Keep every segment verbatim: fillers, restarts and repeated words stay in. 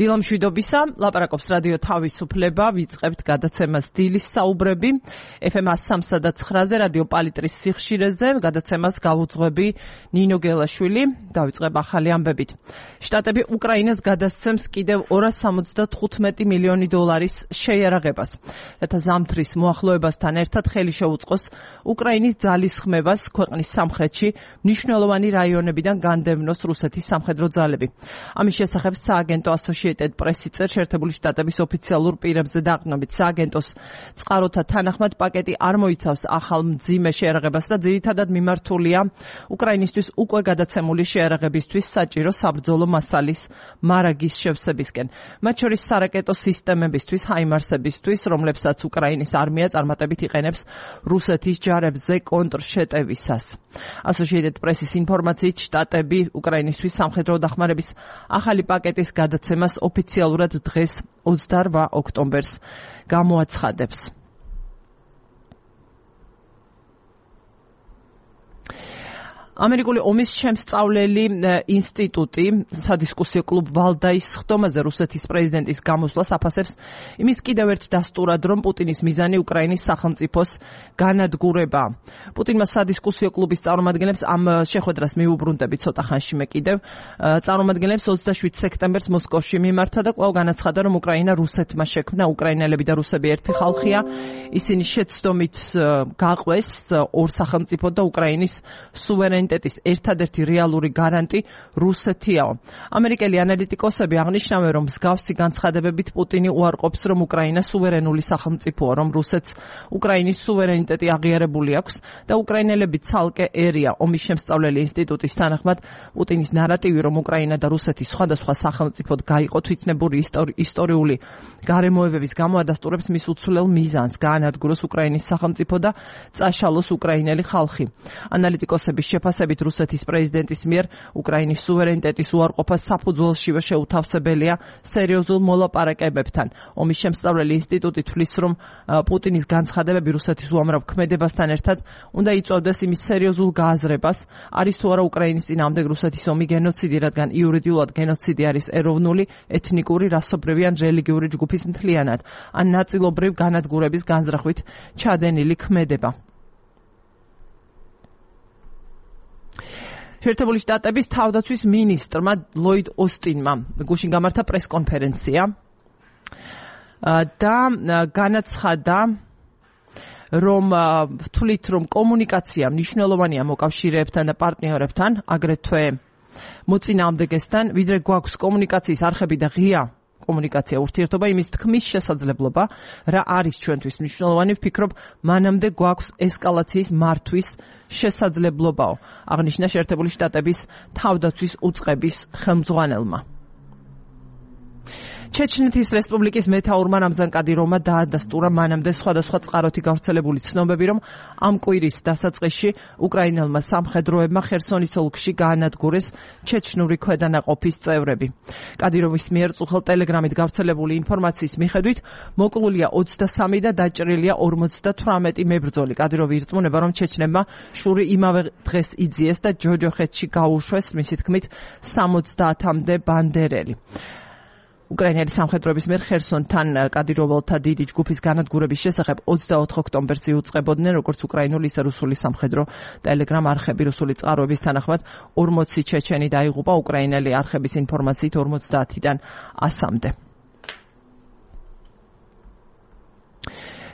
დილამშვიდობისა, ლაპარაკობს რადიო თავისუფლება, ვიწყებთ გადაცემას დილის საუბრები, ეფ ემ one oh three და nine-ზე, რადიო პალიტრის სიხშირეზე, გადაცემას გავუძღვები ნინო გელაშვილი, დავიწყებ ახალი ამბებით. შტატები უკრაინას გადასცემს კიდევ ორას სამოცდათხუთმეტი მილიონი დოლარის შეიარაღებას, რათა ზამთრის მოახლოებასთან ერთად ხელი შეუწყოს უკრაინის ძალისხმევას ქვეყნის სამხრეთში მნიშვნელოვანი რაიონებიდან განდევნოს რუსეთის სამხედრო ძალები. ამის შესახებ სააგენტო Associated Press-ი წერს შეერთებული შტატების ოფიციალურ პირებზე დაყრდნობით. სააგენტოს წყაროთა თანახმად პაკეტი არ მოიცავს ახალ მძიმე შეიარაღებას და ძირითადად მიმართულია უკრაინისთვის უკვე გადაცემული შეიარაღებისთვის საჭირო საბრძოლო მასალის მარაგის შევსებისკენ. მათ შორის სარაკეტო სისტემებისთვის, ჰაიმარსებისთვის, რომლებსაც უკრაინის არმია წარმატებით იყენებს რუსეთის ჯარებზე კონტრშეტევისას. Associated Press-ის ინფორმაციით შტატები უკრაინისთვის სამხედრო დახმარების ახალი პაკეტის გადაცემას ოფიციალურად დღეს ოცდაორ ოქტომბერს გამოაცხადებს. ამერიკული ომის შემსწავლელი ინსტიტუტი სადისკუსიო კლუბ ვალდაის ხდომაზე რუსეთის პრეზიდენტის გამოსვლას აფასებს იმის კიდევ ერთ დასტურად, რომ პუტინის მიზანი უკრაინის სახელმწიფოს განადგურება. პუტინმა სადისკუსიო კლუბის წარმომადგენლებს ამ შეხვედრას მიუბრუნდები ცოტა ხანში მე კიდევ წარმომადგენლებს ოცდაშვიდ სექტემბერს მოსკოვში მიმართა და კვლავ განაცხადა, რომ უკრაინა რუსეთმა შექმნა, უკრაინელები და რუსები ერთი ხალხია, ისინი შეცდომით გაყვეს ორ სახელმწიფო და უკრაინის სუვერენიტეტის ერთადერთი რეალური გარანტი რუსეთიაო. ამერიკელი ანალიტიკოსები აღნიშნავენ, რომ მსგავსი განცხადებებით პუტინი უარყოფს, რომ უკრაინა სუვერენული სახელმწიფოა, რომ რუსეთს უკრაინის სუვერენიტეტი აღიარებული აქვს და უკრაინელები ცალკე ერია. ომის შემსწავლელი ინსტიტუტის თანახმად პუტინის ნარატივი, რომ უკრაინა და რუსეთის სხვადასხვა სახელმწიფოდ გაიყო თვითნებური ისტორიული გარემოებების გამო ადასტურებს მის უცვლელ მიზანს გაანადგუროს უკრაინის სახელმწიფო და წაშალოს უკრაინელი ხალხი. ანალიტიკოსების შეფასებით რუსეთის პრეზიდენტის მიერ უკრაინის სუვერენიტეტის უარყოფა საფუძველშივე შეუთავსებელია სერიოზულ მოლაპარაკებებთან. ომის შემსწავლელი ინსტიტუტი თვლის, რომ პუტინის განცხადებები რუსეთის უამრავ ქმედებასთან ერთად უნდა იწვევდეს იმის სერიოზულ გააზრებას, არის თუ არა უკრაინის წინააღმდეგ რუსეთის ომი გენოციდი, რადგან იურიდიულად გენოციდი არის ეროვნული, ეთნიკური, რასობრივი ან რელიგიური ჯგუფის მთლიანად ან ნაწილობრივ განადგურების განზრახვით ჩადენილი ქმედება. შეერთებული შტატების თავდაცვის მინისტრმა ლოიდ ოსტინმა გუშინ გამართა პრესკონფერენცია და განაცხადა, რომ ვთვლით, რომ კომუნიკაცია მნიშვნელოვანია მოკავშირეებთან და პარტნიორებთან, აგრეთვე მოწინააღმდეგესთან, ვიდრე გვაქვს კომუნიკაციის არხები და ღია კომუნიკაცია ურთიერთობა, იმის თქმის შესაძლებლობა, რა არის ჩვენთვის მნიშვნელოვანი, ვფიქრობ, მანამდე გვაქვს ესკალაციის მართვის შესაძლებლობაო, აღნიშნა შეერთებული შტატების თავდაცვის უწყების ხელმძღვანელმა. ჩეჩნეთის რესპუბლიკის მეთაურმა რამზან კადიროვმა დაადასტურა მანამდე სხვადასხვა წყაროთი გავრცელებული ცნობები, რომ ამ კვირის დასაწყისში უკრაინელმა სამხედროებმა ხერსონის ოლქში გაანადგურეს ჩეჩნური ქვედანაყოფის წევრები. კადიროვის მიერ წუხელ ტელეგრამით გავრცელებული ინფორმაციის მიხედვით მოკლულია ოცდასამი და დაჭრილია ორმოცდათვრამეტი მებრძოლი. კადიროვი ირწმუნება, რომ ჩეჩნებმა შური იმავე დღეს იძიეს და ჯოჯოხეთში გაუშვეს, მისი თქმით, სამოცდაათამდე ბანდერელი. უკრაინელი სამხედროების მიერ ხერსონთან კადიროველთა დიდი ჯგუფის განადგურების შესახებ ოცდაოთხ ოქტომბერს იუწყებოდნენ, როგორც უკრაინული, ისე რუსული სამხედრო ტელეგრამ არხები. რუსული წყაროების თანახმად ორმოცი ჩეჩენი დაიღუპა, უკრაინელი არხების ინფორმაციით ორმოცდაათიდან ასამდე.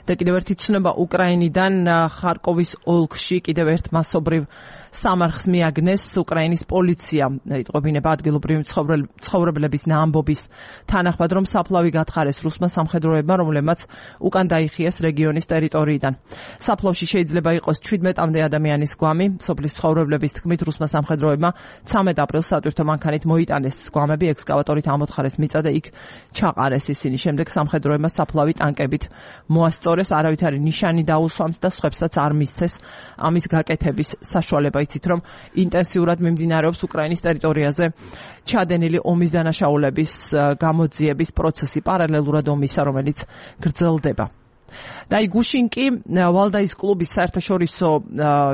და კიდევ ერთი ცნობა უკრაინიდან, ხარკოვის ოლქში კიდევ ერთ მასობრივ სამარხს მიაგნეს უკრაინის პოლიცია. იტყობინება ადგილობრივი ცხოვრებლების ამბობის თანახმად, რომ საფლავი გათხარეს რუსმა სამხედროებმა, რომლებმაც უკან დაიხიეს რეგიონის ტერიტორიიდან. საფლავში შეიძლება იყოს ჩვიდმეტამდე ადამიანის გვამი. სოფლის ცხოვრებლების თქმით, რუსმა სამხედროებმა ცამეტ აპრილს სატვირთო მანქანით მოიტანეს გვამები, ექსკავატორით ამოთხარეს მიწა და იქ ჩაყარეს ისინი. შემდეგ სამხედროებმა საფლავი ტანკებით მოასწორეს, არავითარი ნიშანი დაუსვამს და სხვებსაც არ მისცეს ამის გაკეთების საშუალება. იცით, რომ ინტენსიურად მიმდინარეობს უკრაინის ტერიტორიაზე ჩადენილი ომის დანაშაულების გამოძიების პროცესი პარალელურად ომისა, რომელიც გრძელდება. და აი გუშინ კი ვალდაის კლუბის საერთაშორისო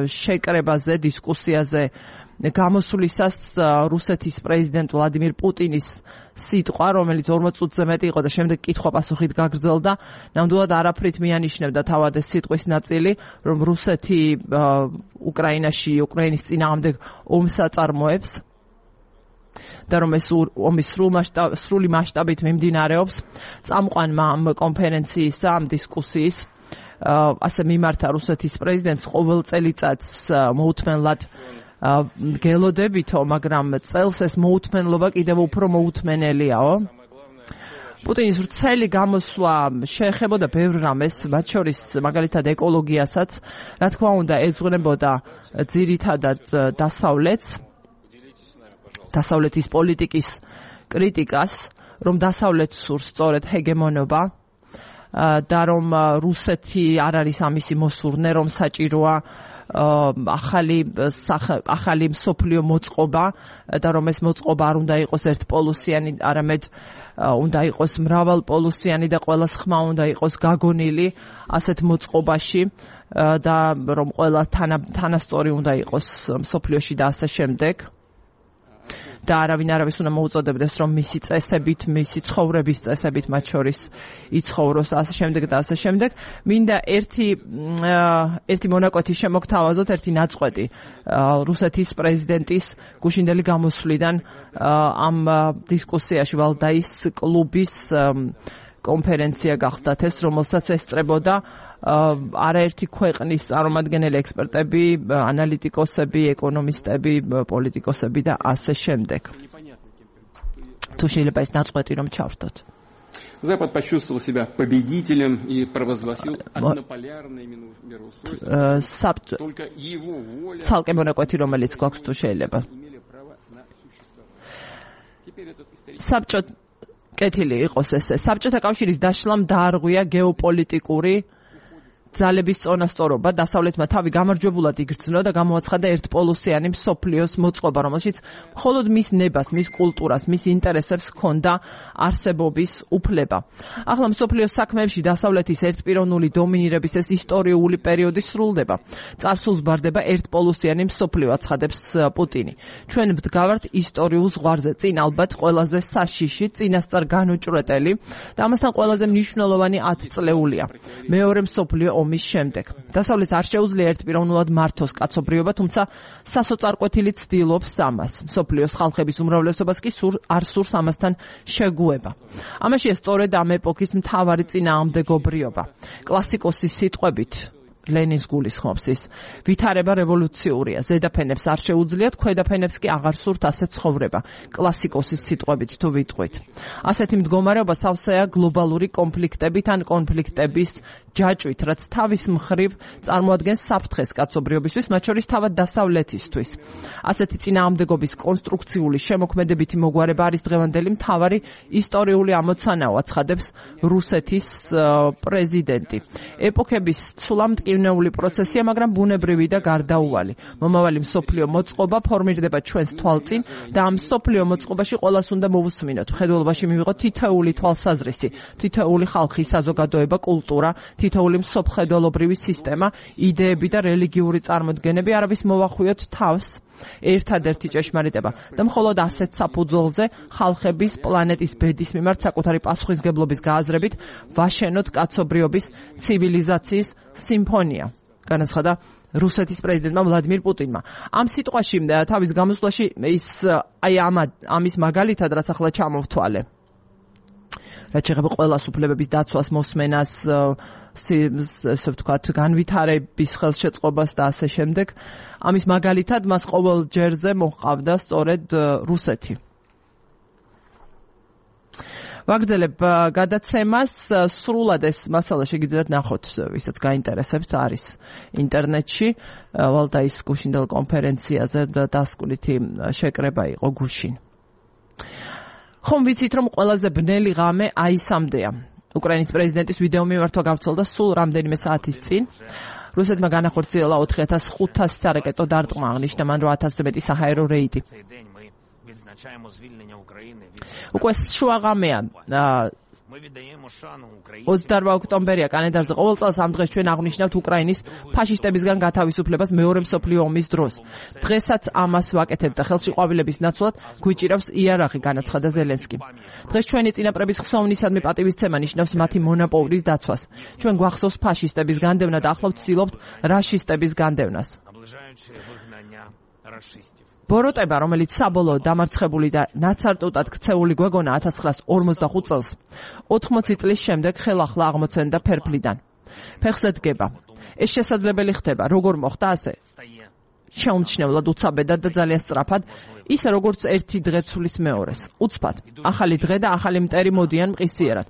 შეკრებაზე, დისკუსიაზე გამოსვლისას რუსეთის პრეზიდენტ ვლადიმირ პუტინის სიტყვა, რომელიც ორმოც წუთზე მეტი იყო და შემდეგ კითხვა-პასუხით გაგრძელდა, ნამდვილად არაფრით მიანიშნებდა თავად ეს სიტყვის ნაწილი, რომ რუსეთი უკრაინაში, უკრაინის წინააღმდეგ ომს აწარმოებს და რომ ეს ომის სრული მასშტაბით მიმდინარეობს. წამყვანმა ამ კონფერენციისა, ამ დისკუსიის ასე მიმართა რუსეთის პრეზიდენტს ყოველ წელიწადს მოუთმენლად გელოდებითო, მაგრამ წელს ეს მოუთმენლობა კიდევ უფრო მოუთმენელიაო. პუტინის ვრცელი გამოსვლა შეეხებოდა ბევრ რამეს, მათ შორის მაგალითად ეკოლოგიასაც, რა თქმა უნდა ეძღვნებოდა ძირითადად დასავლეთს, დასავლეთის პოლიტიკის კრიტიკას, რომ დასავლეთს სურს სწორედ ჰეგემონობა და რომ რუსეთი არ არის ამისი მოსურნე, რომ საჭიროა ახალი ახალი მსოფლიო მოწყობა და რომ ეს მოწყობა არ უნდა იყოს ერთპოლუსიანი, არამედ უნდა იყოს მრავალპოლუსიანი და ყველას ხმა უნდა იყოს გაგონილი ასეთ მოწყობაში და რომ ყველა თანასწორი უნდა იყოს მსოფლიოში და ასე შემდეგ. და არავინ არავის უნდა მოუწოდებდეს, რომ მისი წესებით, მისი ცხოვრების წესებით მათ შორის იცხოვროს ასე შემდეგ და ასე შემდეგ. მინდა ერთი ერთი მონაკვეთი შემოგთავაზოთ, ერთი ნაწყვეტი რუსეთის პრეზიდენტის გუშინდელი გამოსვლიდან ამ დისკუსიაში ვალდაის კლუბის კონფერენცია გახდათ ეს, რომელსაც ესწრებოდა არაერთი ქვეყნის წარმომადგენელი ექსპერტები, ანალიტიკოსები, ეკონომისტები, პოლიტიკოსები და ასე შემდეგ. თუ შეიძლება ეს ნაწყვეტი რომ ჩავრთოთ. Запад почувствовал себя победителем и провозгласил однополярное мироустройство. Только его воля. Цалкე მონაკვეთი რომელიც გვაქვს თუ შეიძლება. საბჭო კეთილი იყოს ესე. საბჭოთა კავშირის დაშლამ დაარღვია გეოპოლიტიკური ძალების წონასწორობა, დასავლეთმა თავი გამარჯვებულად იგრძნო და გამოაცხადა ერთპოლუსიანი მსოფლიოს მოწყობა, რომელშიც მხოლოდ მის ნებას, მის კულტურას, მის ინტერესებს ჰქონდა არსებობის უფლება. ახლა მსოფლიოს საქმეებში დასავლეთის ერთპიროვნული დომინირების ეს ისტორიული პერიოდი სრულდება. წარსულს ბარდება ერთპოლუსიანი მსოფლიო, აცხადებს პუტინი. ჩვენ ვდგავართ ისტორიულ ზღვარზე, წინ ალბათ ყველაზე საშიში, წინასწარ განუჭრეტელი და ამასთან ყველაზე მნიშვნელოვანი ათწლეულია. მეორე მსოფლიო ომის შემდეგ. დასავლეთს არ შეუძლია ერთპიროვნულად მართოს კაცობრიობა, თუმცა სასოწარკვეთილი ცდილობს ამას. მსოფლიოს ხალხების უმრავლესობას კი სურ არ სურს ამასთან შეგუება. ამაშია სწორედ ამ ეპოქის მთავარი წინააღმდეგობრიობა. კლასიკოსის სიტყვებით ლენის გულისხმობს ის, ვითარება რევოლუციურია, ზედაფენებს არ შეუძლიათ, ქვედაფენებს კი აღარ სურთ ასე ცხოვრება. კლასიკოსის სიტყვებით თუ ვიტყვით. ასეთი მდგომარეობა სავსეა გლობალური კონფლიქტებით ან კონფლიქტების ჯაჭვით, რაც თავის მხრივ წარმოადგენს საფრთხეს კაცობრიობისთვის, მათ შორის თავად დასავლეთისთვის. ასეთი წინააღმდეგობის კონსტრუქციული შემოქმედებითი მოგვარება არის დღევანდელი მთავარი ისტორიული ამოცანაო, აცხადებს რუსეთის პრეზიდენტი. ეპოქების ცულა-მტკივნეული პროცესია, მაგრამ ბუნებრივი და გარდაუვალი. მომავალი მსოფლიო მოწყობა ფორმირდება ჩვენს თვალწინ და ამ მსოფლიო მოწყობაში ყველას უნდა მოვუსმინოთ. მხედველობაში მივიღოთ თითოეული თვალსაზრისი, თითოეული ხალხი, საზოგადოება, კულტურა, თითოეული მსოფლმხედველობრივი სისტემა, იდეები და რელიგიური წარმოდგენები, არავის მოვახვიოთ თავს. ერთადერთი ჭეშმარიტება და მხოლოდ ასეთ საფუძველზე ხალხების პლანეტის ბედის მიმართ საკუთარი პასუხისგებლობის გააზრებით ვაშენოთ კაცობრიობის ცივილიზაციის სიმფონია. განაცხადა რუსეთის პრეზიდენტმა ვლადიმირ პუტინმა. ამ სიტყვაში თავის გამოსვლაში ის აი ამ ამის მაგალითად რაც ახლა ჩამოვთვალე. რაც შეეხება ყველას უფლებების დაცვას, მოსმენას, ესე ვთქვათ, განვითარების ხელშეწყობას და ასე შემდეგ. ამის მაგალითად მას ყოველ ჯერზე მოჰყავდა სწორედ რუსეთი. ვაგრძელებ გადაცემას, სრულად ეს მასალა შეგიძლიათ ნახოთ, ვისაც გაინტერესებთ, არის ინტერნეტში, ვალდაის გუშინდელ კონფერენციაზე და დასკვნითი შეკრება იყო გუშინ. ხომ ვიცით, რომ ყველაზე ბნელი ღამე აისამდეა. უკრაინის პრეზიდენტის ვიდეო მიმართვა გავრცელდა სულ რამდენიმე საათის წინ. რუსეთმა განახორციელა ოთხი ათას ხუთასი სარაკეტო დარტყმა, აღნიშნა მან, რომ ათასზე მეტი საჰაერო რეიდი. უკვე შუაღამეა ოცდაოთხ ოქტომბერია კალენდარზე. ყოველ წელს ამ დღეს ჩვენ აღნიშნავთ უკრაინის ფაშისტებისგან გათავისუფლებას მეორე მსოფლიო ომის დროს. დღესაც ამას ვაკეთებთ და ხელში ყვავილების ნაცვლად გვიჭირავს იარაღი, განაცხადა ზელენსკი. დღეს ჩვენი წინაპრების ხსოვნისადმი პატივისცემა ნიშნავს მათი მონოპოლის დაცვას. ჩვენ გვახსოვს ფაშისტების განდევნა და ახლავ ვცდილობთ რაშისტების განდევნას. ბოროტება, რომელიც საბოლოოდ დამარცხებული და ნაცარტუტად ქცეული გვეგონა ათას ცხრაას ორმოცდახუთ წელს, ოთხმოცი წლის შემდეგ ხელახლა აღმოცენდა ფერფლიდან. ფეხზე დგება. ეს შესაძლებელი ხდება, როგორ მოხდა ასე? შეუმჩნევლად, უცაბედად და ძალიან სწრაფად, ისე როგორც ერთი დღე ცulis მეორეს. უცბად, ახალი დღე და ახალი მტერი მოდიან მყისიერად.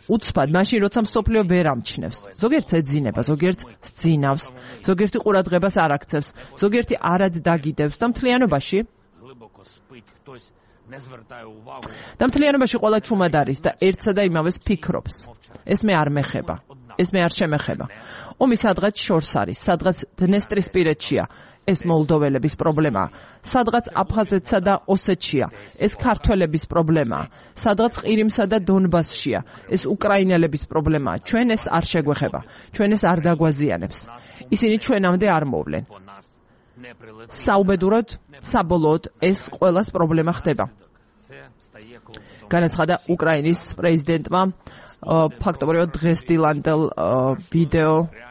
უცბად, მაშინ როცა მსოფლიო ვერ ამჩნევს. ზოგიერთს ეძინება, ზოგიერთს სძინავს, ზოგიერთი ყურადღებას არ აქცევს, ზოგიერთი არად დაგიდევს და მთლიანობაში და მთლიანობაში ყველა ჩუმად არის და ერთსა და იმავეს ფიქრობს. ეს მე არ მეხება, ეს მე არ შემეხება. ომი სადღაც შორს არის, სადღაც დნესტრისპირეთშია. ეს მოლდოველების პრობლემაა. სადღაც აფხაზეთსა და ოსეთშია. ეს ქართველების პრობლემაა. სადღაც ყირიმსა და დონბასშია. ეს უკრაინელების პრობლემაა. ჩვენ ეს არ შეგვეხება. ჩვენ ეს არ დაგვაზიანებს. ისინი ჩვენამდე არ მოვლენ. საუბედუროდ, საბოლოოდ ეს ყველას პრობლემა ხდება. განაცხადა უკრაინის პრეზიდენტმა ფაქტობრივად დღესდილანდელ ვიდეო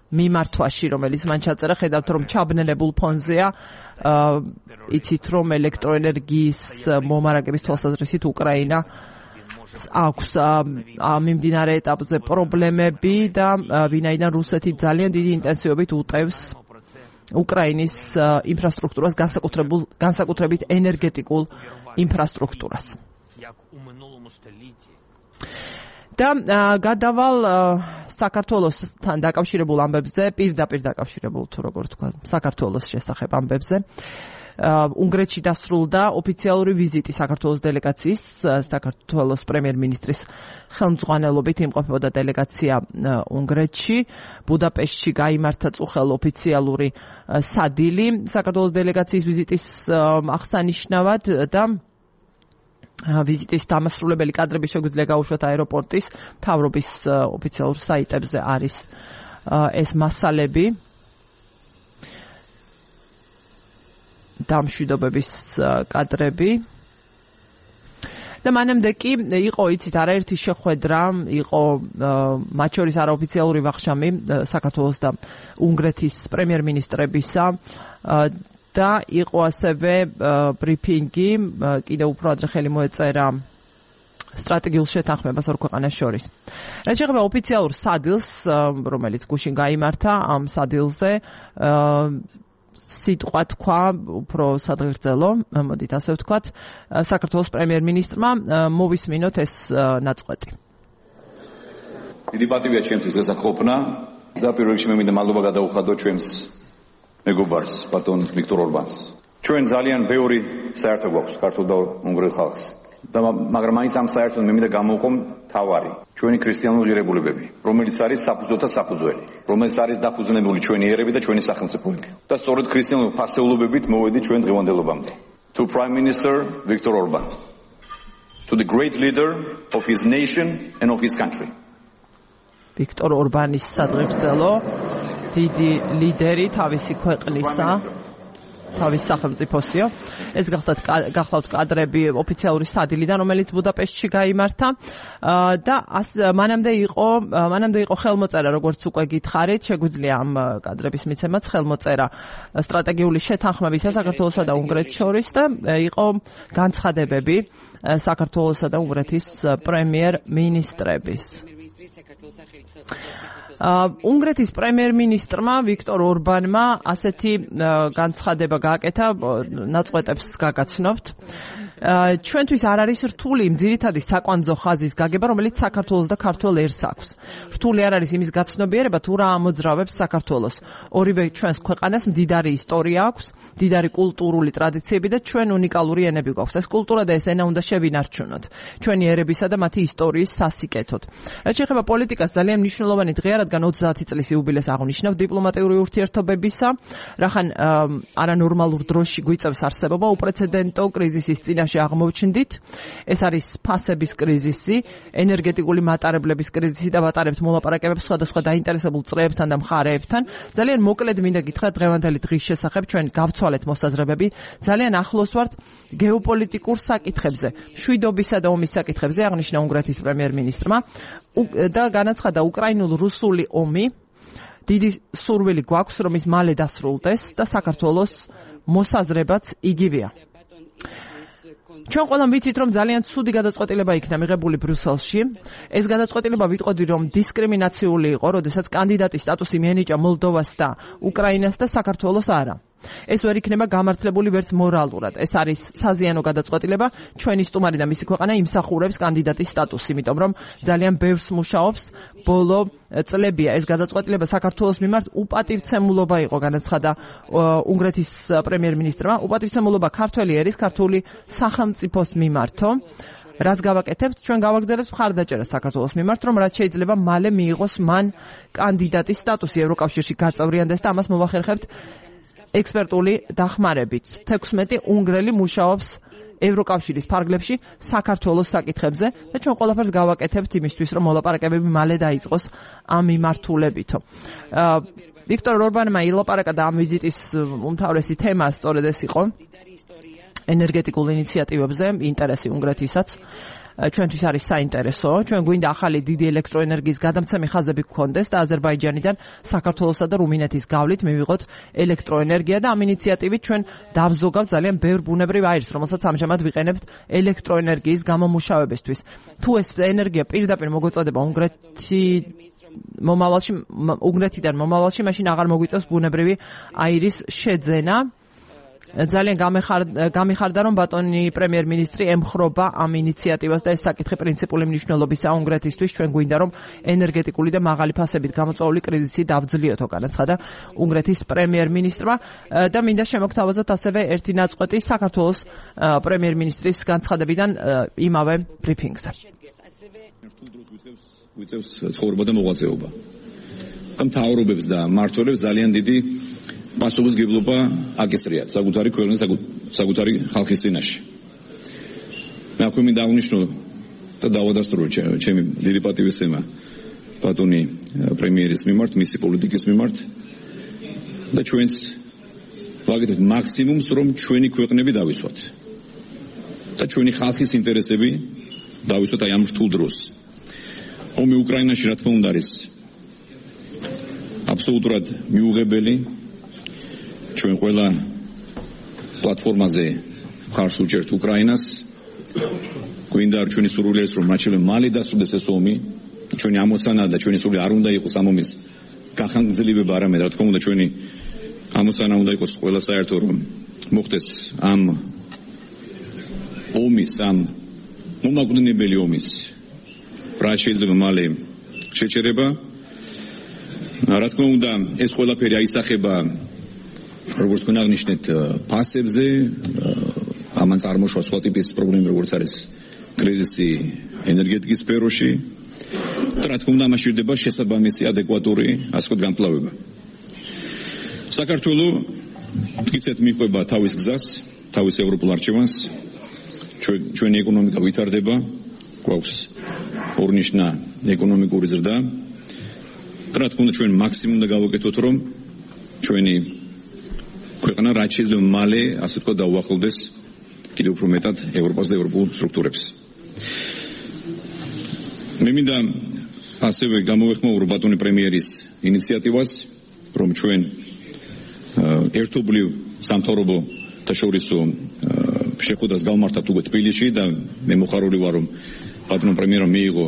მიმართვაში, რომელიც მან ჩაწერა, ხედავთ რომ ჩაბნელებულ ფონზეა. იცით რომ ელექტროენერგიის მომარაგების თვალსაზრისით უკრაინა აქვს მიმდინარე ეტაპზე პრობლემები და ვინაიდან რუსეთი ძალიან დიდი ინტენსივობით უტევს უკრაინის ინფრასტრუქტურას, განსაკუთრებულ განსაკუთრებით ენერგეტიკულ ინფრასტრუქტურას. და გადავალ საქართველოსთან დაკავშირებულ ამბებზე, პირდაპირ დაკავშირებულ თუ როგორ თქვა, საქართველოს შესახებ ამბებზე. უნგრეთში დასრულდა ოფიციალური ვიზიტი საქართველოს დელეგაციის, საქართველოს პრემიერ-მინისტრის ხელმძღვანელობით იმყოფებოდა დელეგაცია უნგრეთში. ბუდაპეშტში გაიმართა წუხელ ოფიციალური სადილი საქართველოს დელეგაციის ვიზიტის აღსანიშნავად და ვიზიტის დამასრულებელი კადრები შეგვიძლია გაუშვათ აეროპორტის მთავრობის ოფიციალურ საიტებზე არის ეს მასალები დამშვიდობების კადრები და მანამდე კი იყო იცით არაერთი შეხვედრა იყო მათ შორის არაოფიციალური ვახშამი საქართველოს და უნგრეთის პრემიერ-მინისტრებისა და იყო ასევე ბრიფინგი კიდევ უფრო ადრე ხელი მოეწერა სტრატეგიულ შეთანხმებას ორ ქვეყანას შორის. რაც შეეხება ოფიციალურ სადილს, რომელიც გუშინ გაიმართა ამ სადილზე, სიტყვა თქვა უფრო სადღეგრძელო, მოდით ასე ვთქვათ, საქართველოს პრემიერ-მინისტრმა მოვისმინოთ ეს ნაწყვეტი. დიდი პატივია ჩემთვის გასახყოფნა და პირველ რიგში მე მინდა მადლობა გადაუხადო ჩვენს მეგობარს, ბატონ ვიქტორ ორბანს. ჩვენ ძალიან ბევრი საერთო გვაქვს ქართულ და უნგრელ ხალხს. და მაგრამ მაინც ამ საერთოდ მე მინდა გამოვყო თავარი. ჩვენი ქრისტიანული ღირებულებები, რომელიც არის საფუძველთა საფუძველი, რომელიც არის დაფუძნებული ჩვენი ერები და ჩვენი სახელმწიფოები. და სწორედ ქრისტიანული ფასეულობებით მოვედი ჩვენ დღევანდელობამდე. To Prime Minister Viktor Orban, to the great leader of his nation and of his country. ვიქტორ ორბანის სადღეგრძელო დიდი ლიდერი თავისი ქვეყნისა, თავის სახელმწიფოსიო. ეს გახლავთ გახლავთ კადრები ოფიციალური სადილიდან, რომელიც ბუდაპეშტში გაიმართა და მანამდე იყო მანამდე იყო ხელმოწერა, როგორც უკვე გითხარით, შეგვიძლია ამ კადრების მიცემაც ხელმოწერა სტრატეგიული შეთანხმებისა საქართველოსა და უნგრეთს შორის და იყო განცხადებები საქართველოსა და უნგრეთის პრემიერ-მინისტრების. უნგრეთის პრემიერ-მინისტრმა ვიქტორ ორბანმა ასეთი განცხადება გააკეთა, ნაწყვეტებს გაგაცნობთ. ჩვენთვის არ არის რთული იმ ძირითადი საკვანძო ხაზის გაგება, რომელიც საქართველოს და ქართულ ერს აქვს. რთული არ არის იმის გაცნობიერება, თუ რა ამოძრავებს საქართველოს. ორივე ჩვენს ქვეყანას მდიდარი ისტორია აქვს, მდიდარი კულტურული ტრადიციები და ჩვენ უნიკალური ენები გვაქვს. ეს კულტურა და ეს ენა უნდა შევინარჩუნოთ. ჩვენი ერებისა და მათი ისტორიის სასიკეთოდ. რაც შეეხება პოლიტიკას, ძალიან მნიშვნელოვანი დღეა, რადგან ოცდაათი წლის იუბილეს აღნიშნავ დიპლომატიური ურთიერთობებისა, რახან არანორმალურ დროში გვიწევს არსებობა უპრეცედენტო კრიზისის წინაშე აღმოჩნდით. ეს არის ფასების კრიზისი, ენერგეტიკული მატარებლების კრიზისი და ვატარებთ მოლაპარაკებებს სხვადასხვა დაინტერესებულ წრეებთან და მხარეებთან. ძალიან მოკლედ მინდა გითხრათ დღევანდელი დღის შესახებ, ჩვენ გავცვალეთ მოსაზრებები, ძალიან ახლოს ვართ გეოპოლიტიკურ საკითხებზე, მშვიდობისა და ომის საკითხებზე, აღნიშნა უნგრეთის პრემიერ-მინისტრმა და განაცხადა უკრაინულ-რუსული ომი დიდი სურვილი გვაქვს, რომ ის მალე დასრულდეს და საქართველოს მოსაზრებაც იგივეა. ჩვენ ყველამ ვიცით, რომ ძალიან ცუდი გადაწყვეტილება იქნა მიღებული ბრიუსელში. ეს გადაწყვეტილება ვიტყოდი, რომ დისკრიმინაციული იყო, როდესაც კანდიდატის სტატუსი მიენიჭა მოლდოვას და უკრაინას და საქართველოს არა. ეს ვერ იქნება გამართლებული ვერც მორალურად. ეს არის საზიანო გადაწყვეტილება. ჩვენი სტუმარი და მისი ქვეყანა იმსახურებს კანდიდატის სტატუსს, იმიტომ რომ ძალიან ბევრს მუშაობს ბოლო წლებია. ეს გადაწყვეტილება საქართველოს მიმართ უპატივცემულობა იყო, განაცხადა უნგრეთის პრემიერ-მინისტრმა. უპატივცემულობა ქართველი ერის, ქართული სახელმწიფოს მიმართო. რას გავაკეთებთ? ჩვენ გავაგზავნებთ მხარდაჭერა საქართველოს მიმართ, რომ რაც შეიძლება მალე მიიღოს მან კანდიდატის სტატუსი ევროკავშირში გაწევრიანდეს და ამას მოვახერხებთ ექსპერტული დახმარებით. თექვსმეტი უნგრელი მუშაობს ევროკავშირის ფარგლებში საქართველოს საკითხებზე და ჩვენ ყველაფერს გავაკეთებთ იმისთვის, რომ მოლაპარაკებები მალე დაიწყოს ამ მიმართულებითო. ვიქტორ ორბანმა ილაპარაკა და ამ ვიზიტის უმთავრესი თემა სწორედ ეს იყო ენერგეტიკულ ინიციატივებზე, ინტერესი უნგრეთისაც. ჩვენთვის არის საინტერესო. ჩვენ გვინდა ახალი დიდი ელექტროენერგიის გადამცემი ხაზები გქონდეს და აზერბაიჯანიდან საქართველოსა და რუმინეთის გავლით მივიღოთ ელექტროენერგია და ამ ინიციატივით ჩვენ დავზოგავთ ძალიან ბევრ ბუნებრივ აირს, რომელსაც ამჟამად ვიყენებთ ელექტროენერგიის გამომუშავებისთვის. თუ ეს ენერგია პირდაპირ მოგვეწოდება უნგრეთი მომავალში, უნგრეთიდან მომავალში, მაშინ აღარ მოგვიწევს ბუნებრივი აირის შეძენა. ძალიან გამიხარდა, რომ ბატონი პრემიერ-მინისტრი ემხრობა ამ ინიციატივას და ეს საკითხი პრინციპული მნიშვნელობისაა უნგრეთისთვის. ჩვენ გვინდა, რომ ენერგეტიკული და მაღალი ფასებით გამოწვეული კრიზისი დავძლიოთ, განაცხადა უნგრეთის პრემიერ-მინისტრმა და მინდა შემოგთავაზოთ ასევე ერთი ნაწყვეტი საქართველოს პრემიერ-მინისტრის განცხადებიდან იმავე ბრიფინგზე. ვიწევს ცხოვრება და მოღვაწეობა. და მთავრობებს და მმართველებს ძალიან დიდი პასუხისმგებლობა აკისრიათ საკუთარი ქვეყნის საკუთარი ხალხის წინაშე. მე აქვე მინდა აღნიშნო და დავადასტურო ჩემი დიდი პატივისცემა ბატონი პრემიერის მიმართ, მისი პოლიტიკის მიმართ და ჩვენც ვაკეთებთ მაქსიმუმს, რომ ჩვენი ქვეყნები დავიცვათ და ჩვენი ხალხის ინტერესები დავიცვათ აი ამ რთულ დროს. ომი უკრაინაში რა თქმა უნდა არის აბსოლუტურად მიუღებელი. ჩვენ ყველა პლატფორმაზე ხარს უჭერთ უკრაინას. გვინდა ჩვენი სურვილი ეს რომ მაჩვენე მალე დასრულდეს ეს ომი. ჩვენი ამოცანა და ჩვენი სურვილი არ უნდა იყოს ამ ომის გახანგრძლივება, არამედ რა თქმა უნდა ჩვენი ამოცანა უნდა იყოს ყველა საერთო რომ მოხდეს ამ ომის, ამ მომაკვდინებელი ომის რაც შეიძლება მალე შეჩერება. რა თქმა უნდა ეს ყველაფერი აისახება როგორც თქვენ აღნიშნეთ ფასებზე, ამან წარმოშვა სხვა ტიპის პრობლემები როგორც არის კრიზისი ენერგეტიკის სფეროში. რა თქმა უნდა ამაში ირდება შესაბამისი ადეკვატური ასე ვთქვათ განპლავება. საქართველო მტკიცედ მიყვება თავის გზას, თავის ევროპულ არჩევანს. ჩვენი ეკონომიკა ვითარდება, გვაქვს ორნიშნა ეკონომიკური ზრდა. რა თქმა უნდა ჩვენ მაქსიმუმ უნდა გავაკეთოთ, რომ ჩვენი ქვეყანა რაც შეიძლება მალე ასე ვთქვათ დაუახლოვდეს კიდევ უფრო მეტად ევროპას და ევროპულ სტრუქტურებს. მე მინდა ასევე გამოვეხმაურო ბატონი პრემიერის ინიციატივას, რომ ჩვენ ერთობლივ სამთავრობო და შორისო შეხვედრას გავმართავთ უკვე თბილისში და მე მოხარული ვარ, რომ ბატონო პრემიერმა მიიღო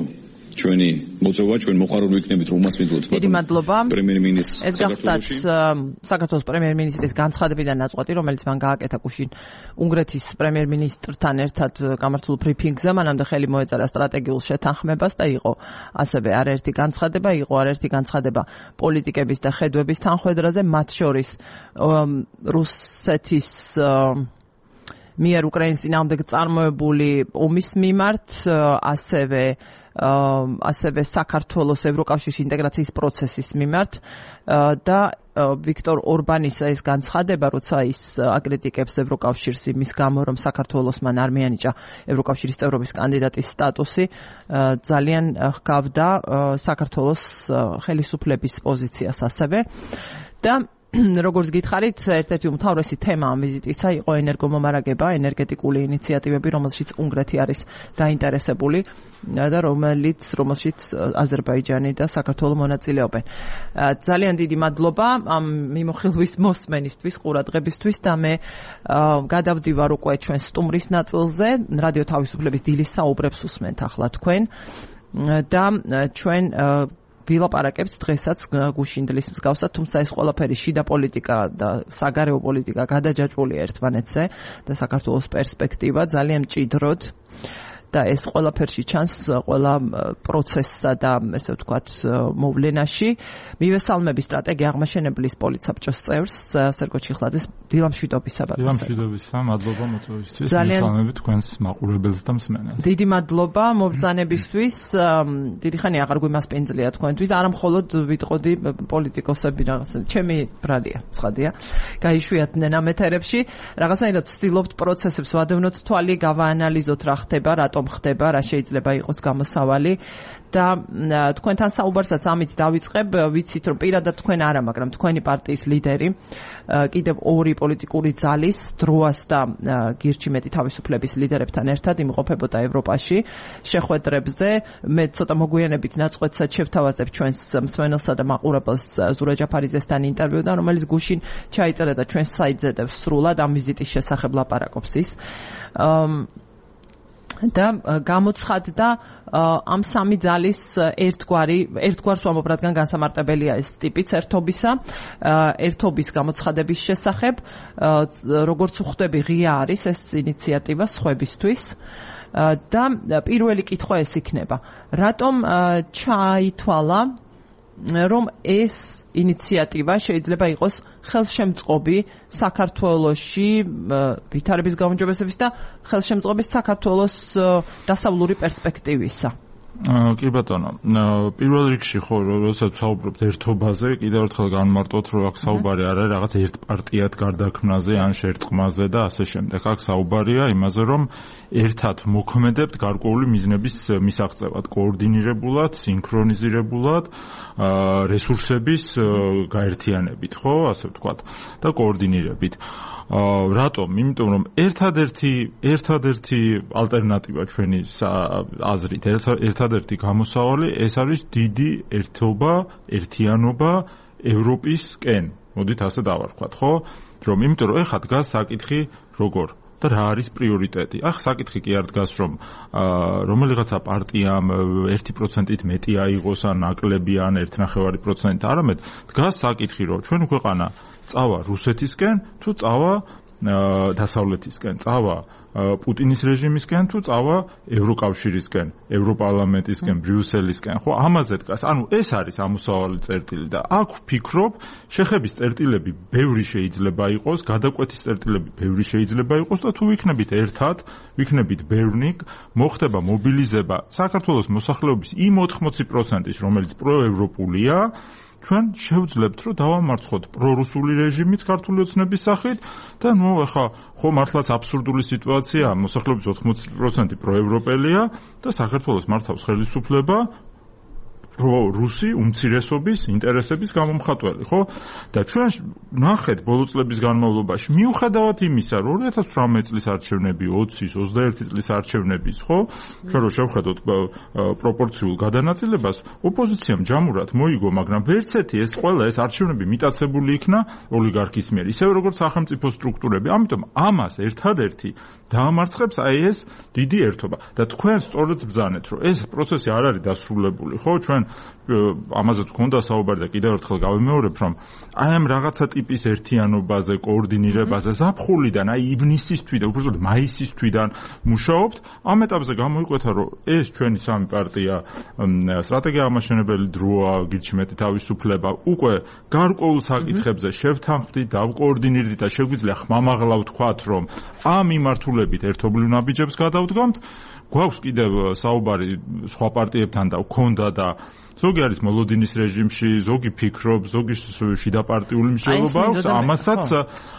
ჩვენი მოწვევა, ჩვენ მოყარული ვიქნებით რომ მას მიდლოთ. დიდი მადლობა. პრემიერ-მინისტრს ეს გახდათ საქართველოს პრემიერ-მინისტრის განცხადებიდან ნაწყვეტი, რომელიც მან გააკეთა გუშინ უნგრეთის პრემიერ-მინისტრთან ერთად გამართულ ბრიფინგზე. მანამდე ხელი მოეწერა სტრატეგიულ შეთანხმებას და იყო ასევე არაერთი განცხადება, იყო არაერთი განცხადება პოლიტიკების და ხედვების თანხვედრაზე, მათ შორის რუსეთის მიერ უკრაინის წინააღმდეგ წარმოებული ომის მიმართ, ასევე ასევე საქართველოს ევროკავშირის ინტეგრაციის პროცესის მიმართ და ვიქტორ ორბანის ეს განცხადება, როცა ის აკრიტიკებს ევროკავშირს იმის გამო, რომ საქართველოს მან არ მიანიჭა ევროკავშირის წევრობის კანდიდატის სტატუსი, ძალიან ჰგავდა საქართველოს ხელისუფლების პოზიციას ასევე და როგორც გითხარით, ერთ-ერთი უმთავრესი თემა ამ ვიზიტისა იყო ენერგომომარაგება, ენერგეტიკული ინიციატივები, რომელშიც უნგრეთი არის დაინტერესებული და რომელიც რომელშიც აზერბაიჯანი და საქართველო მონაწილეობენ. ძალიან დიდი მადლობა ამ მიმოხილვის მოსმენისთვის, ყურადღებისთვის და მე გადავდივარ უკვე ჩვენ სტუმრის ნაწილზე, რადიო თავისუფლების დილის საუბრებს უსმენთ ახლა თქვენ და ჩვენ ვილაპარაკებთ დღესაც გუშინდლის მსგავსად, თუმცა ეს ყველაფერი შიდა პოლიტიკა და საგარეო პოლიტიკა გადაჯაჭვულია ერთმანეთზე და საქართველოს პერსპექტივა ძალიან მჭიდროდ და ეს ყველაფერში ჩანს ყველა პროცესსა და ესე ვთქვათ მოვლენაში. მივესალმები სტრატეგია აღმაშენებლის პოლიცაბჭოს წევრს სერგო ჩიხლაძეს. დილამშვიდობისა ბატონო. დილამშვიდობისა, მადლობა მოწვევისთვის. მივესალმებით თქვენს მაყურებელს და მსმენელს. დიდი მადლობა მობრძანებისთვის. დიდი ხანი აღარ გვიმასპინძლია თქვენთვის, არა მხოლოდ ვიტყოდი პოლიტიკოსები რაღაცა. ჩემი ბრალია, ცხადია. გაიშვიათდნენ ამ ეთერებში. რაღაცნაირად ვცდილობთ პროცესებს ვადევნოთ თვალი, გავაანალიზოთ რა ხდება, რატომ ხდება, რა შეიძლება იყოს გამოსავალი და თქვენთან საუბარსაც ამით დავიწყებ, ვიცით რომ პირადად თქვენ არა, მაგრამ თქვენი პარტიის ლიდერი კიდევ ორი პოლიტიკური ძალის, დროას და გირჩიმეტი თავისუფლების ლიდერებთან ერთად იმყოფებოდა ევროპაში შეხვედრებზე. მე ცოტა მოგვიანებით ნაწყვეტსაც შევთავაზებ ჩვენს მსმენელსა და მაყურებელს ზურა ჯაფარიძესთან ინტერვიუდან, რომელიც გუშინ ჩაიწერა და ჩვენს საიტზე სრულად ამ ვიზიტის შესახებ ლაპარაკობს ის. და გამოცხადდა ამ სამი ძალის ერთგვარი ერთგვარს ვამბობ, რადგან განსამარტებელია ეს ტიპიც ერთობისა, ერთობის გამოცხადების შესახებ, როგორც ვხვდები, ღია არის ეს ინიციატივა სხვებისთვის და პირველი კითხვა ეს იქნება, რატომ ჩაითვალა რომ ეს ინიციატივა შეიძლება იყოს ხელშემწყობი საქართველოში ვითარების გაუმჯობესების და ხელშემწყობის საქართველოს დასავლური პერსპექტივისა. კი ბატონო, პირველ რიგში ხო, როდესაც საუბრობთ ერთობაზე, კიდევ ერთხელ განმარტოთ, რომ აქ საუბარი არ არის რაღაც ერთპარტიად გარდაქმნაზე, ან შერწყმაზე და ასე შემდეგ. აქ საუბარია იმაზე, რომ ერთად მოქმედებთ გარკვეული მიზნების მისაღწევად, კოორდინირებულად, სინქრონიზირებულად, რესურსების გაერთიანებით, ხო, ასე ვთქვათ, და კოორდინირებით. რატომ? იმიტომ რომ ერთადერთი ერთადერთი ალტერნატივა ჩვენი აზრით, ერთადერთი გამოსავალი ეს არის დიდი ერთობა, ერთიანობა ევროპისკენ. მოდით ასე დავარქვათ, ხო? რომ იმიტომ რომ ეხლა დგას საკითხი როგორ და რა არის პრიორიტეტი. ახ საკითხი კი არ დგას რომ რომელიღაცა პარტიამ ერთი პროცენტით მეტი აიღოს ან ნაკლები ან ერთი ნახევარი პროცენტით, არამედ დგას საკითხი რომ ჩვენ ქვეყანა წავა რუსეთისკენ თუ წავა დასავლეთისკენ, წავა პუტინის რეჟიმისკენ თუ წავა ევროკავშირისკენ, ევროპარლამენტისკენ, ბრიუსელისკენ, ხო, ამაზე დგას. ანუ ეს არის ამოსავალი წერტილი და აქ ვფიქრობ, შეხების წერტილები ბევრი შეიძლება იყოს, გადაკვეთის წერტილები ბევრი შეიძლება იყოს და თუ ვიქნებით ერთად, ვიქნებით ბევრნი, მოხდება მობილიზება საქართველოს მოსახლეობის იმ ოთხმოცი პროცენტის, რომელიც პროევროპულია, ჩვენ შევძლებთ, რომ დავამარცხოთ პრორუსული რეჟიმიც ქართული ოცნების სახით და ნუ ახლა ხო მართლაც აბსურდული სიტუაცია, მოსახლეობის ოთხმოცი პროცენტი პროევროპელია და საქართველოს მართავს ხელისუფლება რუსი უმცირესობის ინტერესების გამომხატველი, ხო? და ჩვენ ნახეთ ბოლო წლების განმავლობაში, მიუხედავად იმისა, რომ ორი ათას თვრამეტი წლის არჩევნები, ოცის, ოცდაერთი წლის არჩევნების, ხო? ჩვენ რო შევხედოთ პროპორციულ გადანაწილებას, ოპოზიციამ ჯამურად მოიგო, მაგრამ ვერც ერთი ეს ყველა ეს არჩევნები მიტაცებული იქნა ოლიგარქის მიერ, ისევე როგორც სახელმწიფო სტრუქტურები. ამიტომ ამას ერთადერთი დაამარცხებს აი ეს დიდი ერთობა. და თქვენ სწორედ ბრძანეთ, რომ ეს პროცესი არ არის დასრულებული, ხო? ჩვენ ამაზეც გქონდა საუბარი და კიდევ ერთხელ გავიმეორებ, რომ აი ამ რაღაცა ტიპის ერთიანობაზე, კოორდინირებაზე ზაფხულიდან, აი ივნისის თვიდან, უბრალოდ მაისის თვიდან მუშაობთ. ამ ეტაპზე გამოიკვეთა, რომ ეს ჩვენი სამი პარტია სტრატეგია ამაშენებელი დროა, გიჩმეთი თავისუფლება, უკვე გარკვეულ საკითხებზე შევთანხმდით, დავკოორდინირდით და შეგვიძლია ხმამაღლა ვთქვათ, რომ ამ მიმართულებით ერთობლივ ნაბიჯებს გადავდგამთ. გვაქვს კიდევ საუბარი სხვა პარტიებთან და გქონდა და ზოგი არის მოლოდინის რეჟიმში, ზოგი ფიქრობს, ზოგი შიდაპარტიული მსჯელობა აქვს, ამასაც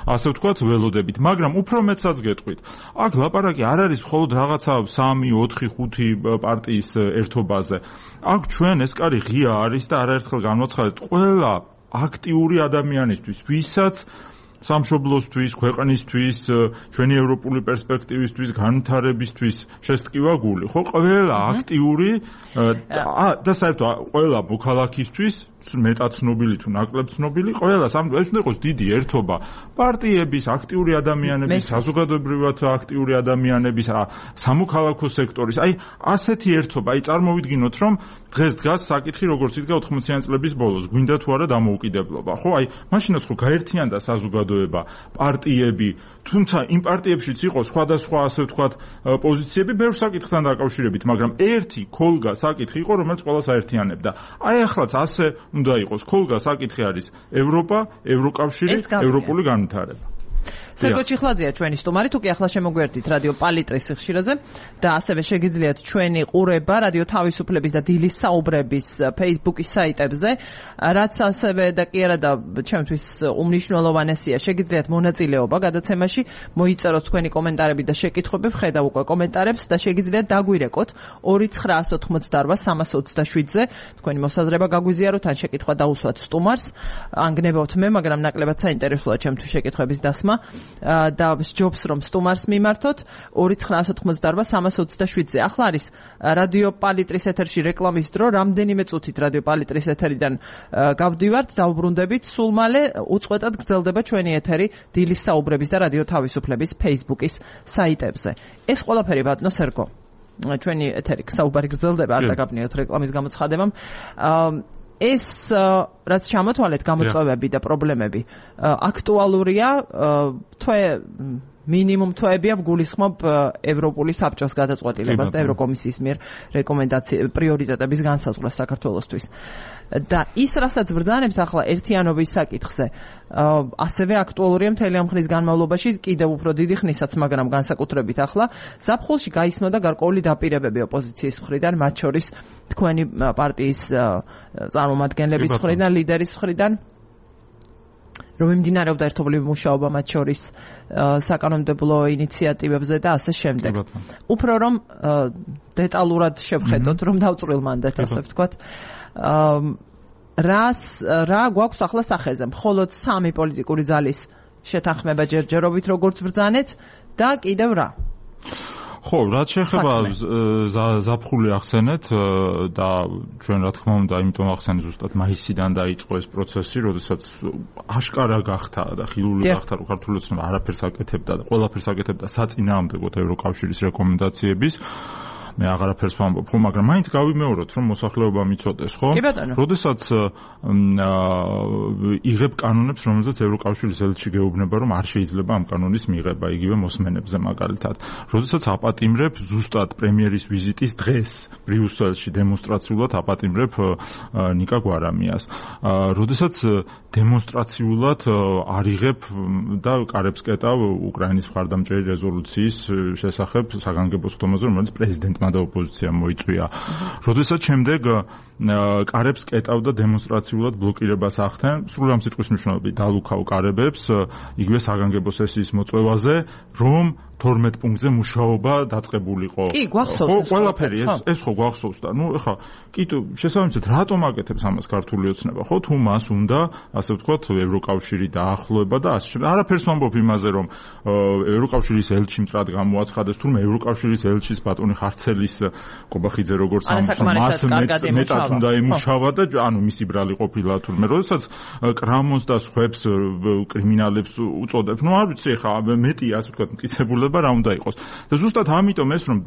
ასე ვთქვათ ველოდებით, მაგრამ უფრო მეტსაც გეტყვით. აქ ლაპარაკი არ არის მხოლოდ რაღაცა სამი, ოთხი, ხუთი პარტიის ერთობაზე. აქ ჩვენ ეს კარი ღია არის და არაერთხელ განვაცხადეთ ყველა აქტიური ადამიანისთვის, ვისაც სამშობლოსთვის, ქვეყნისთვის, ჩვენი ევროპული პერსპექტივისთვის, განვითარებისთვის შესტკივა გული. ხო, ყველა აქტიური და საერთოდ ყველა მოქალაქისთვის მეტად ცნობილი თუ ნაკლებ ცნობილი, ყველა სამ ეს უნდა იყოს დიდი ერთობა პარტიების, აქტიური ადამიანების, საზოგადოებრივად აქტიური ადამიანების, სამოქალაქო სექტორის. აი, ასეთი ერთობა, აი წარმოვიდგინოთ, რომ დღეს დგას საკითხი, როგორც იდგა ოთხმოციანი წლების ბოლოს, გვინდა თუ არა დამოუკიდებლობა. ხო, აი, მაშინაც ხო გაერთიანდა საზოგადოება, პარტიები, თუმცა იმ პარტიებშიც იყო სხვადასხვა, ასე ვთქვათ, პოზიციები ბევრ საკითხთან დაკავშირებით, მაგრამ ერთი ქოლგა საკითხი იყო, რომელიც ყველას აერთიანებდა. აი, ახლაც ასე უნდა იყოს. ქოლგა საკითხი არის ევროპა, ევროკავშირი, ევროპული განვითარება. სერგო ჩიხლაძეა ჩვენი სტუმარი, თუ კი ახლა შემოგვერდით რადიო პალიტრის ხშირაზე და ასევე შეგიძლიათ ჩვენი ყურება რადიო თავისუფლების და დილის საუბრების Facebook-ის საიტებზე, რაც ასევე და კი არა და ჩემთვის უმნიშვნელოვანესია, შეგიძლიათ მონაწილეობა გადაცემაში, მოიწეროთ თქვენი კომენტარები და შეკითხვები, ვხედავ უკვე კომენტარებს და შეგიძლიათ დაგვირეკოთ ორი ცხრაას ოთხმოცდაორ სამას ოცდაშვიდზე, თქვენი მოსაზრება გაგვიზიაროთ, ან შეკითხვა დაუსვათ სტუმარს, ან გნებავთ მე, მაგრამ ნაკლებად საინტერესოა ჩემთვის შეკითხვების დასმა. და ჯობს რომ სტუმარს მიმართოთ ორი ცხრაას ოთხმოცდაორ სამას ოცდაშვიდზე. ახლა არის რადიო პალიტრის ეთერში რეკლამის დრო, რამდენიმე წუთით რადიო პალიტრის ეთერიდან გავდივართ, დავბრუნდებით, სულ მალე უწყვეტად გრძელდება ჩვენი ეთერი დილის საუბრების და რადიო თავისუფლების Facebook-ის საიტებზე. ეს ყველაფერი ბატონო სერგო, ჩვენი ეთერი საუბარი გრძელდება, არ დაგაბნიოთ რეკლამის გამოცხადებამ. ეს რაც ჩამოთვალეთ გამოწვევები და პრობლემები აქტუალურია, თვე მინიმუმ თვეებია გულისხმობ ევროპული საბჭოს გადაწყვეტილებას და ევროკომისიის მიერ რეკომენდაცია პრიორიტეტების განსაზღვრას საქართველოსთვის. და ის რასაც ბრძანებთ ახლა ერთიანობის საკითხზე, ასევე აქტუალურია მთელი ამ ხნის განმავლობაში, კიდევ უფრო დიდი ხნისაც, მაგრამ განსაკუთრებით ახლა ზაფხულში გაისმოდა გარკვეული დაპირებები ოპოზიციის მხრიდან, მათ შორის თქვენი პარტიის წარმომადგენლების მხრიდან, ლიდერის მხრიდან, რომ მიმდინარეობდა ერთობლივი მუშაობა მათ შორის საკანონმდებლო ინიციატივებზე და ასე შემდეგ. უფრო რომ დეტალურად შევხედოთ, რომ დავწვრილ მანდატს, ასე ვთქვათ, რას რა გვაქვს ახლა სახეზე? მხოლოდ სამი პოლიტიკური ძალის შეთანხმება ჯერჯერობით როგორც ბრძანეთ და კიდევ რა? ხო, რაც შეეხება ზაფხული ახსენეთ და ჩვენ რა თქმა უნდა, იმიტომ ახსენეთ ზუსტად მაისიდან დაიწყო ეს პროცესი, როდესაც აშკარა გახდა და ხილული გახდა, რომ ქართული ოცნება არაფერს აკეთებდა და ყველაფერს აკეთებდა საწინააღმდეგოდ ევროკავშირის რეკომენდაციების. მე აღარაფერს ვამბობ, ხო, მაგრამ მაინც გავიმეოროთ, რომ მოსახლეობა მიცოდეს, ხო? როდესაც იღებ კანონებს, რომელზეც ევროკავშირის ელჩი გეუბნება, რომ არ შეიძლება ამ კანონის მიღება, იგივე მოსმენებზე მაგალითად. როდესაც აპატიმრებ ზუსტად პრემიერის ვიზიტის დღეს ბრიუსელში დემონსტრაციულად აპატიმრებ ნიკა გვარამიას. როდესაც დემონსტრაციულად არიღებ და კარებს კეტავ უკრაინის მხარდამჭერი რეზოლუციის შესახებ საგანგებო სხდომაზე, რომელიც პრეზიდენტ ჯგუფმა და ოპოზიციამ მოიწვია. როდესაც შემდეგ კარებს კეტავდა დემონსტრაციულად ბლოკირებას ახდენ, სრულ ამ სიტყვის მნიშვნელობით დალუქავ კარებებს იგივე საგანგებო სესიის მოწვევაზე, რომ თორმეტ პუნქტზე მუშაობა დაწყებულიყო. კი, გვახსოვს. ხო, ყველაფერი ეს ეს ხო გვახსოვს და ნუ ეხლა კი შესაბამისად რატომ აკეთებს ამას ქართული ოცნება, ხო? თუ მას უნდა, ასე ვთქვათ, ევროკავშირი დაახლოება და ასე შემდეგ. არაფერს ვამბობ იმაზე, რომ ევროკავშირის ელჩი მტრად გამოაცხადეს, თუმცა ევროკავშირის ელჩის ბატონი ხარცელის კობახიძე როგორც ამას მეტად უნდა ემუშავა და ანუ მისი ბრალი ყოფილა თურმე როდესაც კრამონს და სხვებს კრიმინალებს უწოდებს. ნუ არ ვიცი ეხლა მეტი ასე ვთქვათ მტკიცებულება რა უნდა იყოს. და ზუსტად ამიტომ ეს რომ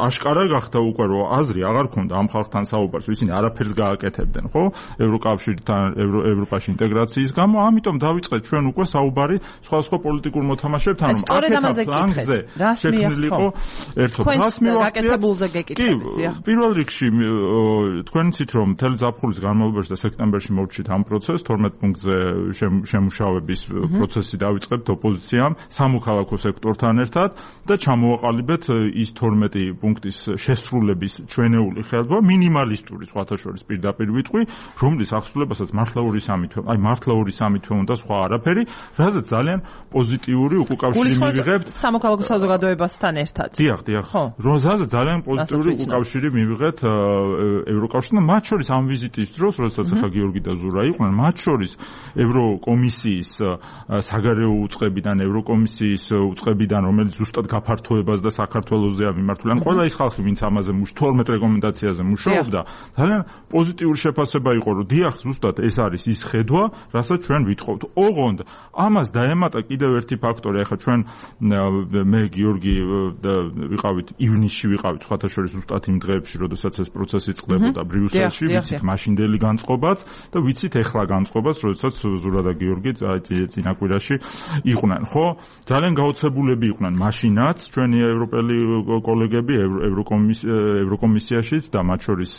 აშკარა გახდა უკვე რომ აზრი აღარ ქონდა ამ ხალხთან საუბარს, ისინი არაფერს გააკეთებდნენ, ხო? ევროკავშირთან, ევროპაში ინტეგრაციის გამო, ამიტომ დავიწყეთ ჩვენ უკვე საუბარი სხვადასხვა პოლიტიკურ მოთამაშეებთან, რომ აკეთებთ ანგზე შექმნილიყო ერთობა. რას მივახციე? კი, პირველ რიგში თქვენ იცით რომ მთელი ზაფხულის განმავლობაში და სექტემბერში მოვჭით ამ პროცესს, თორმეტ პუნქტზე შემუშავების პროცესი დავიწყებთ ოპოზიციამ, სამოქალაქო სექტორთან ერთად და ჩამოვაყალიბეთ ის თორმეტი პუნქტის შესრულების ჩვენეული ხელბა, მინიმალისტური სხვათა შორის პირდაპირ ვიტყვი, რომლის აღსრულებასაც მართლა ორი სამი თვე, აი მართლა ორი სამი თვე უნდა სხვა არაფერი, რაზეც ძალიან პოზიტიური უკავშირი მივიღებთ სამოქალაქო საზოგადოებასთან ერთად. დიახ, დიახ. რაზეც ძალიან პოზიტიური უკავშირი მივიღეთ ევროკავშირთან, მათ შორის ამ ვიზიტის დროს, როდესაც ახლა გიორგი და ზურა იყვნენ, მათ შორის ევროკომისიის საგარეო უწყებიდან, ევროკომისიის უწყებიდან, რომელიც ზუსტად გაფართოებას და საქართველოსზეა მიმართული. ან ყველა ის ხალხი, ვინც ამაზე თორმეტ რეკომენდაციაზე მუშაობდა, ძალიან პოზიტიური შეფასება იყო, რომ დიახ, ზუსტად ეს არის ის ხედვა, რასაც ჩვენ ვითხოვთ. ოღონდ ამას დაემატა კიდევ ერთი ფაქტორი, ახლა ჩვენ მე გიორგი ვიყავით ივნისში ვიყავით სხვათა შორის ზუსტად იმ დღეებში, როდესაც ეს პროცესი წყდებოდა ბრიუსელში, ვიცით მაშინდელი განწყობაც და ვიცით ეხლა განწყობაც, როდესაც ზურა და გიორგი წინაკვირაში იყვნენ, ხო? ძალიან გაოცებულები იყვნენ მაშინაც ჩვენი ევროპელი კოლეგები ევროკომისიაშიც და მათ შორის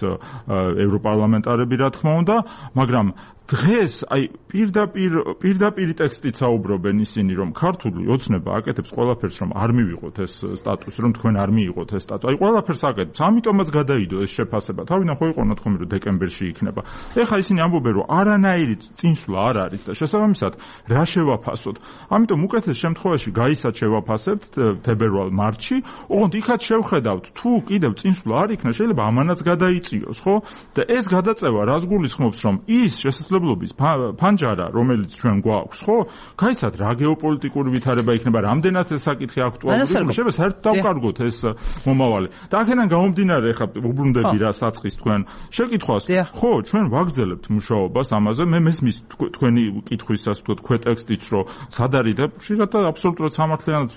ევროპარლამენტარები რა თქმა უნდა, მაგრამ დღეს აი პირდაპირ პირდაპირ ტექსტით საუბრობენ ისინი, რომ ქართული ოცნება აკეთებს ყველაფერს, რომ არ მივიღოთ ეს სტატუსი, რომ თქვენ არ მიიღოთ ეს სტატუსი. აი ყველაფერს აკეთებს. ამიტომაც გადაიდო ეს შეფასება. თავიდან ხო იყო ნათქვამი, რომ დეკემბერში იქნება. ეხლა ისინი ამბობენ, რომ არანაირი წინსვლა არ არის და შესაბამისად რა შევაფასოთ. ამიტომ უკეთეს შემთხვევაში გაისაც შევაფასებთ თებერვალ-მარტში, ოღონდ იქაც შევხედავთ, თუ კიდევ წინსვლა არ იქნა, შეიძლება ამანაც გადაიწიოს, ხო? და ეს გადაწევა რას გულისხმობს, რომ ის შესაძლებლობის ფანჯარა, რომელიც ჩვენ გვაქვს, ხო? გაიცათ რა გეოპოლიტიკური ვითარება იქნება, რამდენად ეს საკითხი აქტუალურია, შეიძლება საერთოდ დავკარგოთ ეს მომავალი. და აქედან გამომდინარე, ხა უბრუნდები რა საწყის თქვენ შეკითხვას, ხო, ჩვენ ვაგრძელებთ მუშაობას ამაზე, მე მესმის თქვენი კითხვის ასე ვთქვათ, ქვეტექსტიც, რომ სად არის და ხშირად აბსოლუტურად სამართლიანად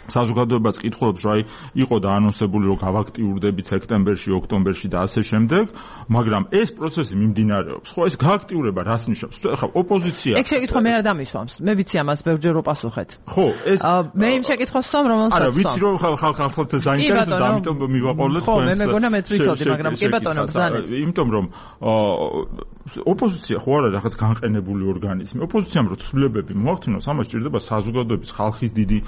საზოგადოებაც კითხულობს, რომ აი იყო და ანონსებული, რომ გავაქტიურდებით სექტემბერში, ოქტომბერში და ასე შემდეგ, მაგრამ ეს პროცესი მიმდინარეობს. ხო, ეს გააქტიურება რას ნიშნავს? ახლა ოპოზიცია. ეგ შეკითხვა მე არ დამისვამს. მე ვიცი ამას ბევრჯერ ვაპასუხეთ. ხო, ეს მე იმ შეკითხვას ვსვამ, რომელსაც არა, ვიცი რომ ხალხს საინტერესოა, ამიტომ მივაყოლეთ თქვენს. ხო, მე მეგონა მეც ვიცოდი, მაგრამ კი ბატონო, ბრძანეთ. იმიტომ რომ ოპოზიცია ხო არა რაღაც განყენებული ორგანიზმი. ოპოზიციამ რო ცვლილებები მოახდინოს, ამას ჭირდება საზოგადოების ხალხის დიდი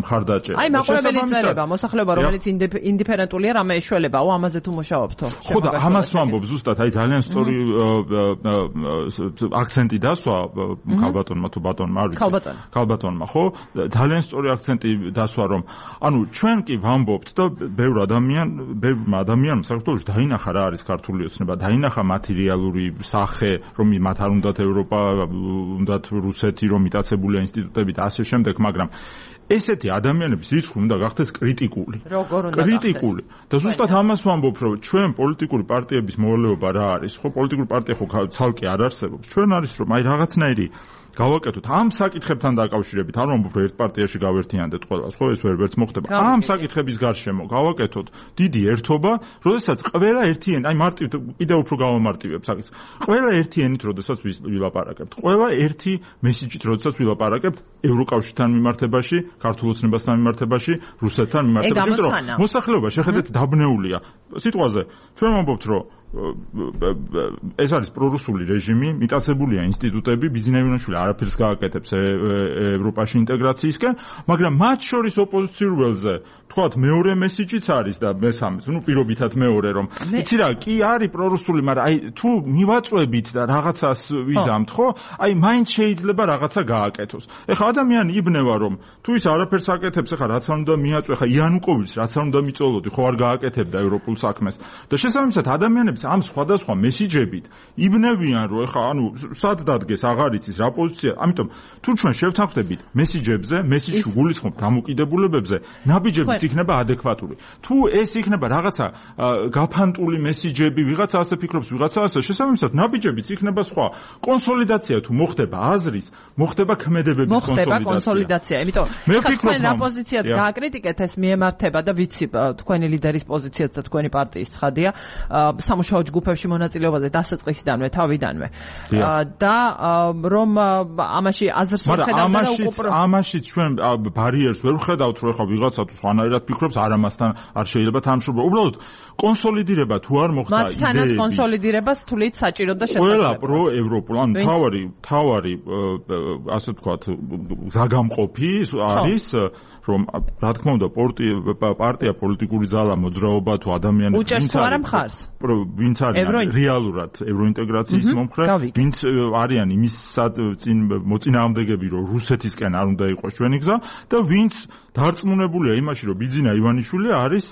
მხარდაჭერა. აი მაყურებელი წერება, მოსახლეობა რომელიც ინდიფერენტულია, რამე ეშველებაო, ამაზე თუ მუშაობთო. ხო და ამას ვამბობ ზუსტად, აი ძალიან სწორი აქცენტი დასვა ქალბატონმა თუ ბატონმა, არ ვიცი. ქალბატონმა, ხო? ძალიან სწორი აქცენტი დასვა, რომ ანუ ჩვენ კი ვამბობთ და ბევრ ადამიან, ბევრ ადამიანს საქართველოში დაინახა რა არის ქართული ოცნება, დაინახა მატერიალური სახე, რომ მათ არ უნდათ ევროპა, უნდათ რუსეთი, რომ მიტაცებულია ინსტიტუტები და ასე შემდეგ, მაგრამ ესეთი ადამიანების რიცხვი უნდა გახდეს კრიტიკული. როგორ უნდა გახდეს? კრიტიკული. და ზუსტად ამას ვამბობ, რომ ჩვენ პოლიტიკური პარტიების მოვალეობა რა არის? ხო, პოლიტიკური პარტია ხო ცალკე არ არსებობს. ჩვენ არის რომ აი რაღაცნაირი გავაკეთოთ ამ საკითხებთან დაკავშირებით, არ ვამბობ, რომ ერთ პარტიაში გავერთიანდეთ ყველას, ხო, ეს ვერ ვერც მოხდება. ამ საკითხების გარშემო გავაკეთოთ დიდი ერთობა, როდესაც ყველა ერთიანი, აი მარტივ კიდევ უფრო გავამარტივებ საკითხს. ყველა ერთიანით, როდესაც ვილაპარაკებთ. ყველა ერთი მესიჯით, როდესაც ვილაპარაკებთ ევროკავშირთან მიმართებაში, ქართულ ოცნებასთან მიმართებაში, რუსეთთან მიმართებაში, რომ მოსახლეობა შეხედეთ დაბნეულია. სიტყვაზე ჩვენ ვამბობთ, რომ ეს არის პრორუსული რეჟიმი, მიტაცებულია ინსტიტუტები, ბიზნეიშვილი არაფერს გააკეთებს ევროპაში ინტეგრაციისკენ, მაგრამ მათ შორის ოპოზიციურ ველზე თქვათ მეორე მესიჯიც არის და მესამეც, ну პირობითად მეორე რომ იცი რა, კი არის პრორუსული, მაგრამ აი თუ მივაწვევით და რაღაცას ვიზამთ, ხო? აი მაინც შეიძლება რაღაცა გააკეთოს. ეხლა ადამიანი იბნევა რომ თუ ის არაფერს აკეთებს, ეხლა რაც არ უნდა მიაწვე, ეხლა იანუკოვიჩს რაც არ უნდა მიწოლოდი, ხო არ გააკეთებდა ევროპულ საქმეს. და შესაბამისად ადამიანებს ამ სხვადასხვა მესიჯებით იბნევიან რომ ეხლა ანუ სად დადგეს აღარ იცის რა პოზიცია, ამიტომ თუ ჩვენ შევთანხმდებით მესიჯებზე, მესიჯში გულისხმობთ დამოკიდებულებებზე, ნაბიჯებიც იქნება ადეკვატური. თუ ეს იქნება რაღაცა გაფანტული მესიჯები, ვიღაცა ასე ფიქრობს, ვიღაცა ასე, შესაბამისად ნაბიჯებიც იქნება სხვა. კონსოლიდაცია თუ მოხდება აზრის, მოხდება ქმედებების კონსოლიდაცია. მოხდება კონსოლიდაცია, იმიტომ თქვენ რა პოზიციაც გააკრიტიკეთ, ეს მიემართება და ვიცი თქვენი ლიდერის პოზიციაც და თქვენი პარტიის ცხადია სამუშაო ჯგუფებში მონაწილეობაზე დასაწყისიდანვე, თავიდანვე. და რომ ამაში აზრს ვხედავთ და უკუპრო ამაშიც ჩვენ ბარიერს ვერ ვხედავთ, რომ ეხლა ვიღაცა თუ სხვანაირად ფიქრობს, არ ამასთან არ შეიძლება თანამშრომლობა. უბრალოდ კონსოლიდირება თუ არ მოხდა იდეები. მათთანაც კონსოლიდირებას თვლით საჭირო და შესაძლებელი. ყველა პროევროპულ, ანუ თავარი, თავარი ასე ვთქვათ, ზაგამყოფი არის რომ რა თქმა უნდა პარტია პოლიტიკური ზალა მოძრაობა თუ ადამიანი ვინც არის ვინც არის რეალურად ევროინტეგრაციის მომხრე ვინც არიან იმის წინ მოწინააღმდეგები რომ რუსეთისკენ არ უნდა იყოს ჩვენი გზა და ვინც დარწმუნებულია იმაში რომ ბიძინა ივანიშვილი არის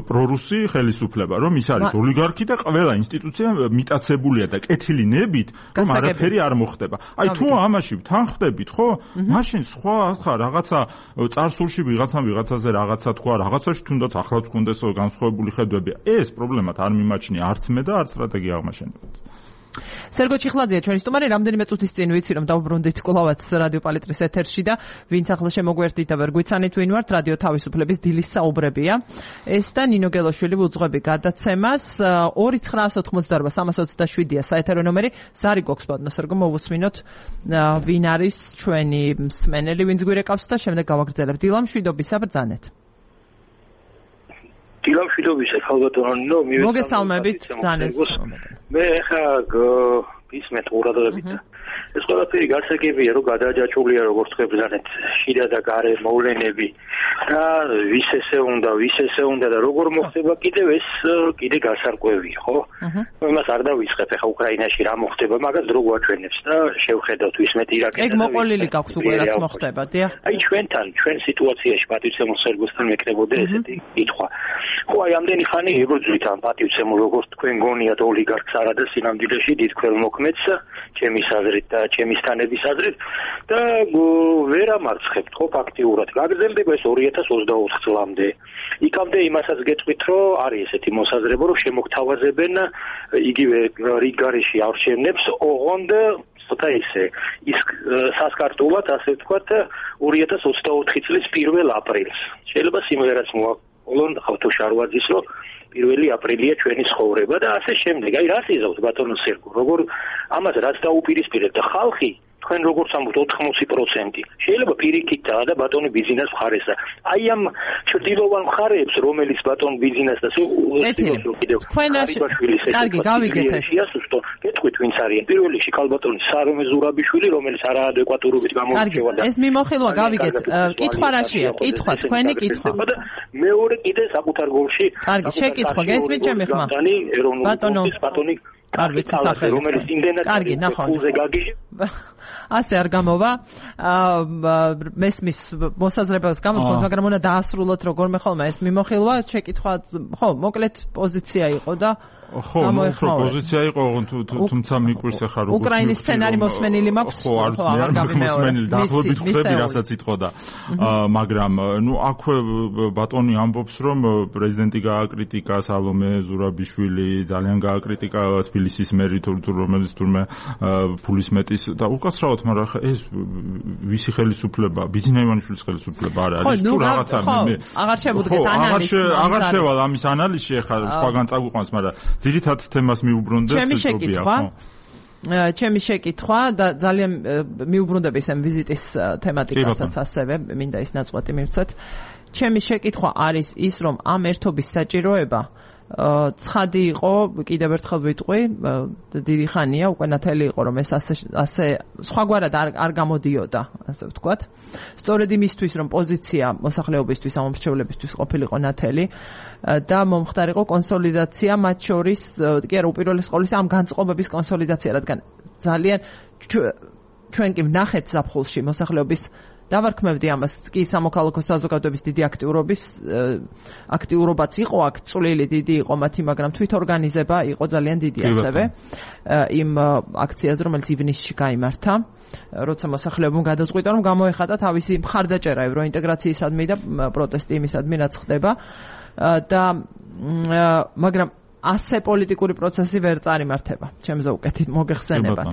პრორუსი ხელისუფლება რომ ის არის ოლიგარქი და ყველა ინსტიტუცია მიტაცებულია და კეთილი ნებით რომ არაფერი არ მოხდება აი თუ ამაში ვთანხმდებით ხო მაშინ სხვა ხა რაღაცა წარსულში ვიღაცამ ვიღაცაზე რაღაცა თქვა, რაღაცაში თუნდაც ახლაც გქონდეს განსხვავებული ხედვები. ეს პრობლემად არ მიმაჩნია არც მე და არც სტრატეგია აღმაშენებაც. სერგო ჩიხლაძეა ჩვენი სტუმარი, რამდენიმე წუთის წინ ვიცი რომ დავუბრუნდით კვლავაც რადიო პალიტრის ეთერში და ვინც ახლა შემოგვერთდით და ვერ გვიცანით ვინ ვართ, რადიო თავისუფლების დილის საუბრებია. ეს და ნინო გელოშვილი ვუძღვები გადაცემას ორი ცხრაას ოთხმოცდაორბა სამას ოცდაშვიდია საეთერო ნომერი. ზარი გვაქვს ბატონო სერგო, მოვუსმინოთ ვინ არის ჩვენი მსმენელი, ვინც გვირეკავს და შემდეგ გავაგრძელებთ. დილა მშვიდობისა, ბრძანეთ. დილა მშვიდობისა, ხალბატონო ნინო, მოგესალმებით, ბრძანეთ. მე ხა ისმეთ ყურადღებით. ეს ყველაფერი გასაგებია, რომ გადააჯაჭვულია როგორც ხებზანეთ, შიდა და გარე მოვლენები და ვის ესე უნდა, ვის ესე უნდა და როგორ მოხდება კიდევ ეს კიდე გასარკვევია, ხო? იმას არ დავიწყებ ახლა უკრაინაში რა მოხდება, მაგას დრო გვაჩვენებს და შევხედავთ ვისმეთ ირაკეთებს. ეგ მოყოლილი გაქვთ უკვე რაც მოხდება, დიახ. აი ჩვენთან, ჩვენ სიტუაციაში პატივცემულ სერგოსთან მეკნებოდა ესეთი კითხვა. ხო, აი ამდენი ხანი ებრძვით ამ პატივცემულ როგორც თქვენ გონიათ ოლიგარქს არა და სინამდვილეში დიდ ქველმოქმედს, ჩემი აზრით და ჩემი სტანების აზრით და ვერ ამარცხებთ ხო ფაქტიურად. გაგრძელდება ეს ორი ათას ოცდაოთხ წლამდე. იქამდე იმასაც გეტყვით, რომ არის ესეთი მოსაზრება, რომ შემოგთავაზებენ იგივე რიგგარეში არჩევნებს, ოღონდ ცოტა ისე ის სასკარტულად, ასე ვთქვათ, ორი ათას ოცდაოთხი წლის პირველ აპრილს. შეიძლება სიმღერაც მოაყოლონ ხავთო შარვაძის, რომ პირველი აპრილია ჩვენი ცხოვრება და ასე შემდეგ. აი რას იზავთ ბატონო სერგო, როგორ ამას რაც დაუპირისპირებთ და ხალხი თქვენ როგორც ამბობთ ოთხმოცი პროცენტი შეიძლება პირიქითაა და ბატონი ბიზნეს მხარესა. აი ამ ჭრდილოვან მხარეებს რომელიც ბატონ ბიზნეს და თქვენ კარგი გავიგეთ ეს იასუსტო გეტყვით ვინც არიან პირველ რიგში კალბატონი სარომე ზურაბიშვილი რომელიც არაადეკვატურობით გამოირჩევა და ეს მიმოხილვა გავიგეთ კითხვა რაშია კითხვა თქვენი კითხვა და მეორე კიდე საკუთარ გოლში კარგი შეკითხვა გესმით ჩემი ხმა ბატონო ბატონი კარგი სახელი რომელიც იმდენად კარგი ნახავთ გაგიჟე ასე არ გამოვა მესმის მოსაზრებას გამოთქვათ მაგრამ უნდა დაასრულოთ როგორმე ხოლმე ეს მიმოხილვა შეკითხვა ხო მოკლედ პოზიცია იყო და ხო, უფრო პოზიცია იყო, თუმცა მიკვირს ახლა როგორ უკრაინის სცენარი მოსმენილი მაქვს, ხო, არ მოსმენილი, დაახლოებით ხვდები, რასაც იტყოდა. მაგრამ, ნუ აქვე ბატონი ამბობს, რომ პრეზიდენტი გააკრიტიკა სალომე ზურაბიშვილი, ძალიან გააკრიტიკა თბილისის მერი თუ რომელიც თურმე ფულის მეტის და უკაცრავად, მაგრამ ახლა ეს ვისი ხელისუფლება, ბიძინა ივანიშვილის ხელისუფლება არ არის თუ რაღაცა მე აღარ შევუდგეთ ანალიზს. აღარ შევალ ამის ანალიზში ახლა სხვაგან წაგვიყვანს, მაგრამ ძირითად თემას მიუბრუნდეთ ჩემი შეკითხვა ჩემი შეკითხვა და ძალიან მიუბრუნდები ამ ვიზიტის თემატიკასაც ასევე მინდა ის ნაწყვეტი მივცეთ ჩემი შეკითხვა არის ის რომ ამ ერთობის საჭიროება ცხადი იყო, კიდევ ერთხელ ვიტყვი, დიდი ხანია, უკვე ნათელი იყო, რომ ეს ასე ასე სხვაგვარად არ არ გამოდიოდა, ასე ვთქვათ. სწორედ იმისთვის, რომ პოზიცია მოსახლეობისთვის, ამომრჩევლებისთვის ყოფილიყო ნათელი და მომხდარიყო კონსოლიდაცია მათ შორის, კი არა, უპირველეს ყოვლისა ამ განწყობების კონსოლიდაცია, რადგან ძალიან ჩვენ კი ვნახეთ ზაფხულში მოსახლეობის დავარქმევდი ამას, კი სამოქალაქო საზოგადოების დიდი აქტიურობის აქტიურობაც იყო აქ, წვლილი დიდი იყო მათი, მაგრამ თვითორგანიზება იყო ძალიან დიდი ასევე იმ აქციაზე, რომელიც ივნისში გაიმართა, როცა მოსახლეობამ გადაწყვიტა, რომ გამოეხატა თავისი მხარდაჭერა ევროინტეგრაციისადმი და პროტესტი იმისადმი, რაც ხდება და მაგრამ ასე პოლიტიკური პროცესი ვერ წარიმართება, ჩემზე უკეთით მოგეხსენებათ.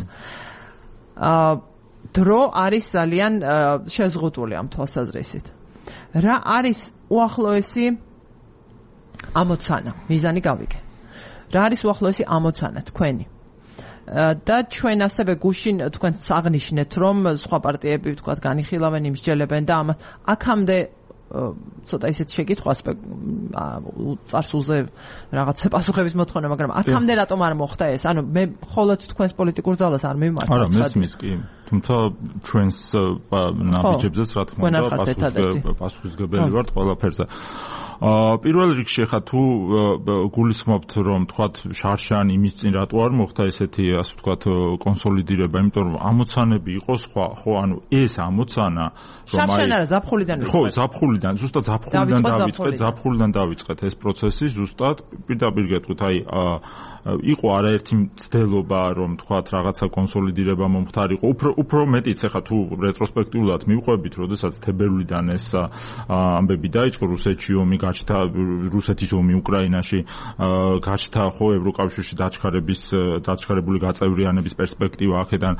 აა დრო არის ძალიან შეზღუდული ამ თვალსაზრისით. რა არის უახლოესი ამოცანა? მიზანი გავიგე. რა არის უახლოესი ამოცანა თქვენი? და ჩვენ ასევე გუშინ თქვენ აღნიშნეთ, რომ სხვა პარტიები თქვათ განიხილავენ, იმსჯელებენ და ამ აქამდე ცოტა ისეთ შეკითხვას წარსულზე რაღაცა პასუხების მოთხოვნა, მაგრამ აქამდე რატომ არ მოხდა ეს? ანუ მე მხოლოდ თქვენს პოლიტიკურ ძალას არ მივმართ. არა, მესმის კი. თუმცა ჩვენს ნაბიჯებზეც რა თქმა უნდა პასუხისგებელი ვართ ყველაფერზე. აა პირველ რიგში ხა თუ გულისხმობთ რომ თქვათ შარშან იმის წინ რატო არ მოხდა ესეთი ასე ვთქვათ კონსოლიდირება, იმიტომ რომ ამოცანები იყო სხვა, ხო, ანუ ეს ამოცანა რომ აი შარშან არა ზაფხულიდან ხო, ზაფხულიდან, ზუსტად ზაფხულიდან დავიწყეთ, ზაფხულიდან დავიწყეთ ეს პროცესი, ზუსტად პირდაპირ გეტყვით, აი იყო არაერთი მცდელობა რომ თქვათ რაღაცა კონსოლიდირება მომხდარიყო, უფრო უფრო მეტიც ხა თუ რეტროსპექტიულად მივყვებით, როდესაც თებერვლიდან ეს ამბები დაიწყო, რუსეთში ომი გაჩნდა, რუსეთის ომი უკრაინაში გაჩნდა, ხო, ევროკავშირში დაჩქარების დაჩქარებული გაწევრიანების პერსპექტივა აქედან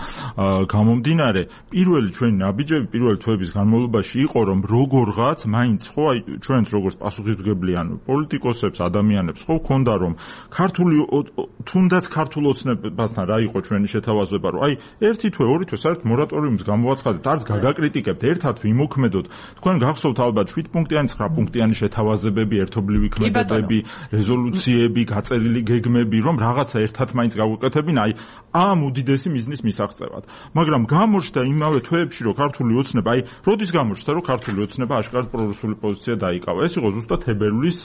გამომდინარე, პირველი ჩვენი ნაბიჯები პირველი თვეების განმავლობაში იყო, რომ როგორღაც მაინც ხო, აი ჩვენც როგორც პასუხისმგებლიან პოლიტიკოსებს, ადამიანებს ხო გქონდა რომ ქართული თუნდაც ქართულ ოცნებასთან რა იყო ჩვენი შეთავაზება, რომ აი ერთი თვე, ორი თვე საერთოდ მორატორიუმს გამოვაცხადეთ, არც გაგაკრიტიკებთ, ერთად ვიმოქმედოთ. თქვენ გახსოვთ ალბათ შვიდ პუნქტიანი, ცხრა პუნქტიანი შეთავაზებები, ერთობლივი ქმედებები, რეზოლუციები, გაწერილი გეგმები, რომ რაღაცა ერთად მაინც გავუკეთებინა, აი ამ უდიდესი მიზნის მისაღწევად. მაგრამ გამოჩნდა იმავე თვეებში, რომ ქართული ოცნება, აი როდის გამოჩნდა, რომ ქართული ოცნება აშკარად პრორუსული პოზიცია დაიკავა. ეს იყო ზუსტად თებერვლის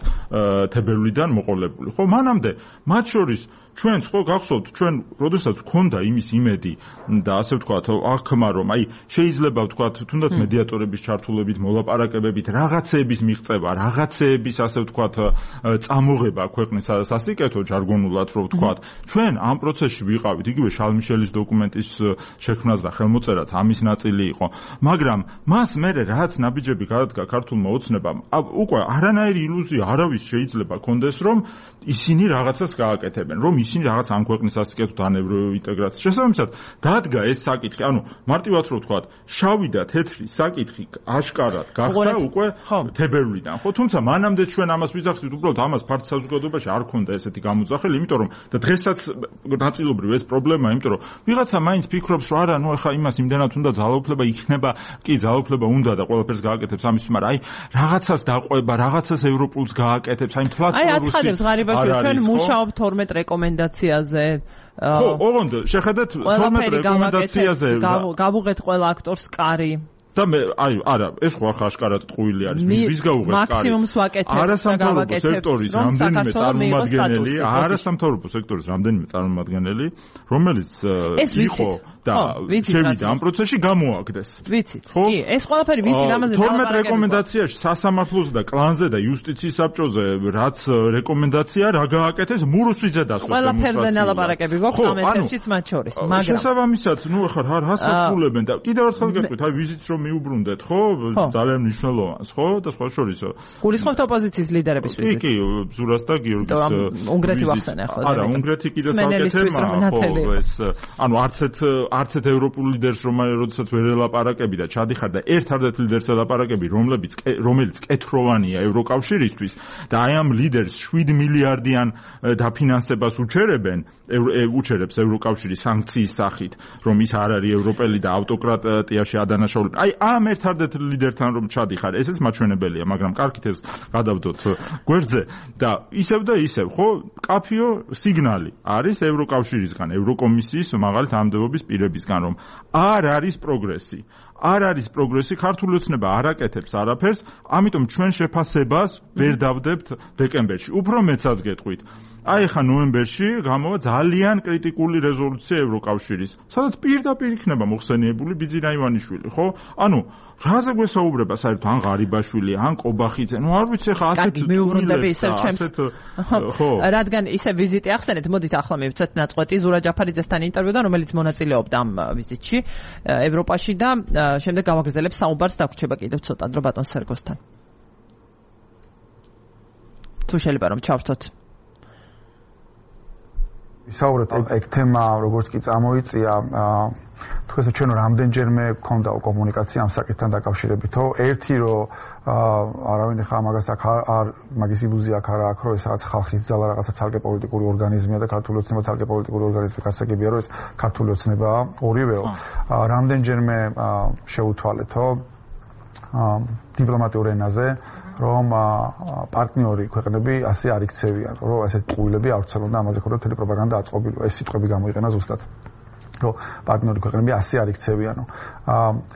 თებერვლიდან მოყოლებული. ხო, მანამდე მათ შორის ჩვენც ხო გახსოვთ, ჩვენ როდესაც გქონდა იმის იმედი და ასე ვთქვათ, აღქმა რომ აი შეიძლება ვთქვათ, თუნდაც მედიატორების ჩართულობით, მოლაპარაკებებით, რაღაცეების მიღწევა, რაღაცეების ასე ვთქვათ, წამოღება ქვეყნის სასიკეთო ჟარგონულად რო ვთქვათ, ჩვენ ამ პროცესში ვიყავით, იგივე შალმიშელის დოკუმენტის შექმნას და ხელმოწერაც ამის ნაწილი იყო, მაგრამ მას მერე რაც ნაბიჯები გადადგა ქართულმა ოცნებამ, უკვე არანაირი ილუზია არავის შეიძლება კონდეს, რომ ისინი რაღაცას გააკეთებენ, რომ ისინი რაღაც ამ ქვეყნის სასიკეთოდ ან ევროინტეგრაციის შესაბამისად დადგა ეს საკითხი, ანუ მარტივად რო ვთქვათ, შავი და თეთრი საკითხი აშკარად გახდა უკვე თებერვლიდან, ხო, თუმცა მანამდე ჩვენ ამას ვიძახით, უბრალოდ ამას ფართ საზოგადოებაში არ ქონდა ესეთი გამოძახილი, იმიტომ რომ და დღესაც ნაწილობრივ ეს პრობლემა, იმიტომ რომ ვიღაცა მაინც ფიქრობს, რომ არა, ნუ ახლა იმას იმდენად უნდა ძალაუფლება იქნება, კი ძალაუფლება უნდა და ყველაფერს გააკეთებს ამის, მაგრამ აი რაღაცას დაყვება, რაღაცას ევროპულს გააკეთებს, აი თლაც აი აცხადებს ღარიბაშვილი, ჩვენ მუშაობთ თორმეტ რეკომენდაციაზე. ხო, ოღონდ შეხედეთ თორმეტ რეკომენდაციაზე გავუღეთ ყველა აქტორს კარი. და მე აი არა ეს ხო ახლა აშკარად ტყუილი არის ვის გაუღეს კარი მაქსიმუმს ვაკეთებ არასამთავრობო სექტორის რამდენიმე წარმომადგენელი არასამთავრობო სექტორის რამდენიმე წარმომადგენელი რომელიც იყო და შევიდა ამ პროცესში გამოაგდეს ვიცით კი ეს ყველაფერი ვიცი რამაზე თორმეტ რეკომენდაციაში სასამართლოზე და კლანზე და იუსტიციის საბჭოზე რაც რეკომენდაცია რა გააკეთეს მურუსვიძე დასვეს ყველაფერზე ნალაპარაკები გვაქვს ამ ეთერშიც მათ შორის მაგრამ შესაბამისად ნუ ახლა რა რას ასრულებენ და კიდევ ერთხელ გეტყვით აი ვიზიტს რომ მიუბრუნდეთ ხო ძალიან მნიშვნელოვანს ხო და სხვა შორისო გულისხმობთ ოპოზიციის ლიდერების ვიზიტს კი კი ზურას და გიორგის უნგრეთი ვახსენე ახლა არა უნგრეთი კიდე საკეთე ხო ეს ანუ არცეთ არცეთ ევროპულ ლიდერს რომელსაც ვერ ელაპარაკები და ჩადიხარ და ერთ-ერთ ლიდერს ელაპარაკები რომლებიც რომელიც კეთროვანია ევროკავშირისთვის და აი ამ ლიდერს შვიდ მილიარდიან დაფინანსებას უჩერებენ უჩერებს ევროკავშირი სანქციის სახით რომ ის არ არის ევროპელი და ავტოკრატიაში ადანაშაულება აი აი ამ ერთადერთ ლიდერთან რომ ჩადიხარ, ესეც მაჩვენებელია, მაგრამ კარგით ეს გადავდოთ გვერდზე და ისევ და ისევ, ხო, კაფიო სიგნალი არის ევროკავშირისგან, ევროკომისიის მაღალი თანამდებობის პირებისგან, რომ არ არის პროგრესი. არ არის პროგრესი, ქართული ოცნება არ აკეთებს არაფერს, ამიტომ ჩვენ შეფასებას ვერ დავდებთ დეკემბერში. უფრო მეცაც გეტყვით. აი ხა ნოემბერში გამოვა ძალიან კრიტიკული რეზოლუცია ევროკავშირის, სადაც პირდაპირ იქნება მოხსენიებული ბიძინა ივანიშვილი, ხო? ანუ რაზე გვესაუბრება საერთოდ ან ღარიბაშვილი, ან კობახიძე, ну არ ვიცი ხა ასეთ მეუბრუნდები ისევ ჩემს ხო, რადგან ისე ვიზიტი ახსენეთ, მოდით ახლა მივცეთ ნაწყვეტი ზურა ჯაფარიძესთან ინტერვიუდან, რომელიც მონაწილეობდა ამ ვიზიტში ევროპაში და შემდეგ გავაგრძელებ საუბარს დაგვრჩება კიდევ ცოტა დრო ბატონ სერგოსთან. თუ შეიძლება რომ ჩავრთოთ. ვისაუბრეთ ეგ თემა, როგორც კი წამოიწია, თუ ესე ჩვენ რამდენჯერმე გქონდა კომუნიკაცია ამ საკითხთან დაკავშირებითო, ერთი რომ არავინ ხა მაგას აქ არ მაგის ილუზია აქ არ აქვს, რომ ეს რაღაც ხალხის ძალა რაღაცა ცალკე პოლიტიკური ორგანიზმია და ქართული ოცნება ცალკე პოლიტიკური ორგანიზმი გასაგებია, რომ ეს ქართული ოცნებაა ორივეო. რამდენჯერმე შეუთვალეთო დიპლომატიურ ენაზე რომ პარტნიორი ქვეყნები ასე არ იქცევიან, რომ ასეთ პულები არ ვცელონ და ამაზე ხოდა თელი პროპაგანდა აწყობილო. ეს სიტყვები გამოიყენა ზუსტად. რომ პარტნიორი ქვეყნები ასე არ იქცევიანო.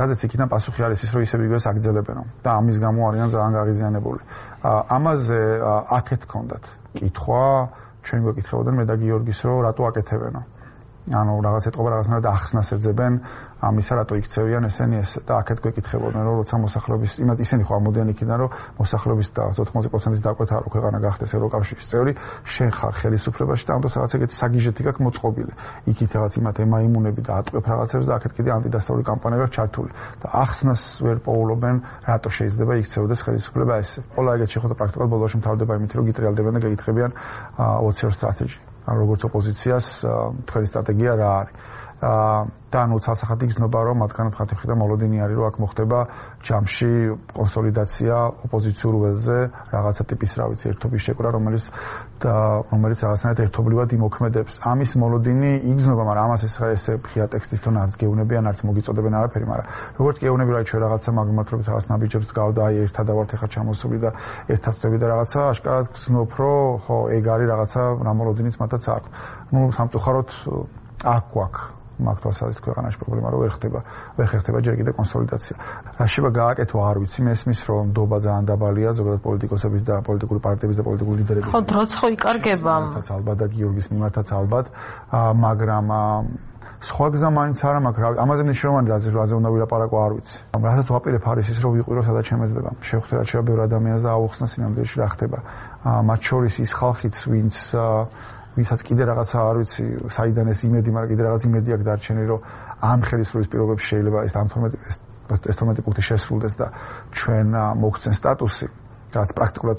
რადგან იქიდან პასუხი არის ის, რომ ისევ იგივეს აგრძელებენო და ამის გამო არიან ძალიან გაღიზიანებული. ამაზე აქეთ ჰქონდათ კითხვა, ჩვენ გვეკითხებოდნენ მე და გიორგის, რომ რატო აკეთებენო. ანუ რაღაც ეთყობა რაღაცნაირად ახსნას ეძებენ ამისა რატო იქცევიან ესენი ეს და აქეთ გვეკითხებოდნენ რომ როცა მოსახლეობის იმათ ისინი ხო ამოდიან იქიდან რომ მოსახლეობის და ოთხმოცდაათი პროცენტის დაკვეთა რო ქვეყანა გახდეს ევროკავშირის წევრი შენ ხარ ხელისუფლებაში და ამიტომ რაღაც ეგეთი საგიჟეთი გაქვს მოწყობილი იქით რაღაც იმათ ემაიმუნები და ატყვევ რაღაცებს და აქეთ კიდე ანტიდასავლური კამპანია ჩართული და ახსნას ვერ პოულობენ რატო შეიძლება იქცევდეს ხელისუფლება ესე ყველა ეგეთ შეხვედრა პრაქტიკულად ბოლოში მთავრდება იმით რომ გიტრიალდებიან და გეკითხებიან ოცი ორ სტრატეჯი ან როგორც ოპოზიციას თქვენი სტრატეგია რა არის და ანუ ცალსახად იგრძნობა რომ მათგან მხატი მხრიდან მოლოდინი არის რომ აქ მოხდება ჯამში კონსოლიდაცია ოპოზიციურ ველზე რაღაცა ტიპის რა ვიცი ერთობის შეკრა რომელიც და რომელიც რაღაცნაირად ერთობლივად იმოქმედებს ამის მოლოდინი იგრძნობა მაგრამ ამას ეს ესე ხია ტექსტი თვითონ არც გეუნებიან არც მოგიწოდებენ არაფერი მაგრამ როგორც გეუნები რა ჩვენ რაღაცა მაგმათრობით რაღაც ნაბიჯებს გავდა აი ერთად ავართ ახლა ჩამოსული და ერთად ვწები და რაღაცა აშკარად გრძნობ რომ ხო ეგ არის რაღაცა რა მოლოდინიც მათაც აქვს ну სამწუხაროდ აქ გვაქვს მაგთვალსაზრისით ქვეყანაში პრობლემა რო ვერ ხდება, ვერ ხერხდება ჯერ კიდევ კონსოლიდაცია. რა შეიძლება გააკეთო არ ვიცი, მესმის რომ ნდობა ძალიან დაბალია ზოგადად პოლიტიკოსების და პოლიტიკური პარტიების და პოლიტიკური ლიდერების. ხო, დროც ხო იკარგება. თაც ალბათ და გიორგის მიმართაც ალბათ, მაგრამ სხვა გზა მაინც არა მაქვს, ამაზე მნიშვნელოვანი რაზე რაზე უნდა ვილაპარაკო არ ვიცი. რასაც ვაპირებ არის ის რომ ვიყვირო სადაც შემეძდება. შევხვდე რა შეიძლება ბევრ ადამიანს და აუხსნა სინამდვილეში რა ხდება. მათ შორის ის ხალხიც ვინც ვისაც კიდე რაღაცა არ ვიცი, საიდან ეს იმედი, მაგრამ კიდე რაღაც იმედი აქვს დარჩენილი, რომ ამ ხელისუფლების პირობებში შეიძლება ეს ეს თორმეტი პუნქტი შესრულდეს და ჩვენ მოგცენ სტატუსი, რაც პრაქტიკულად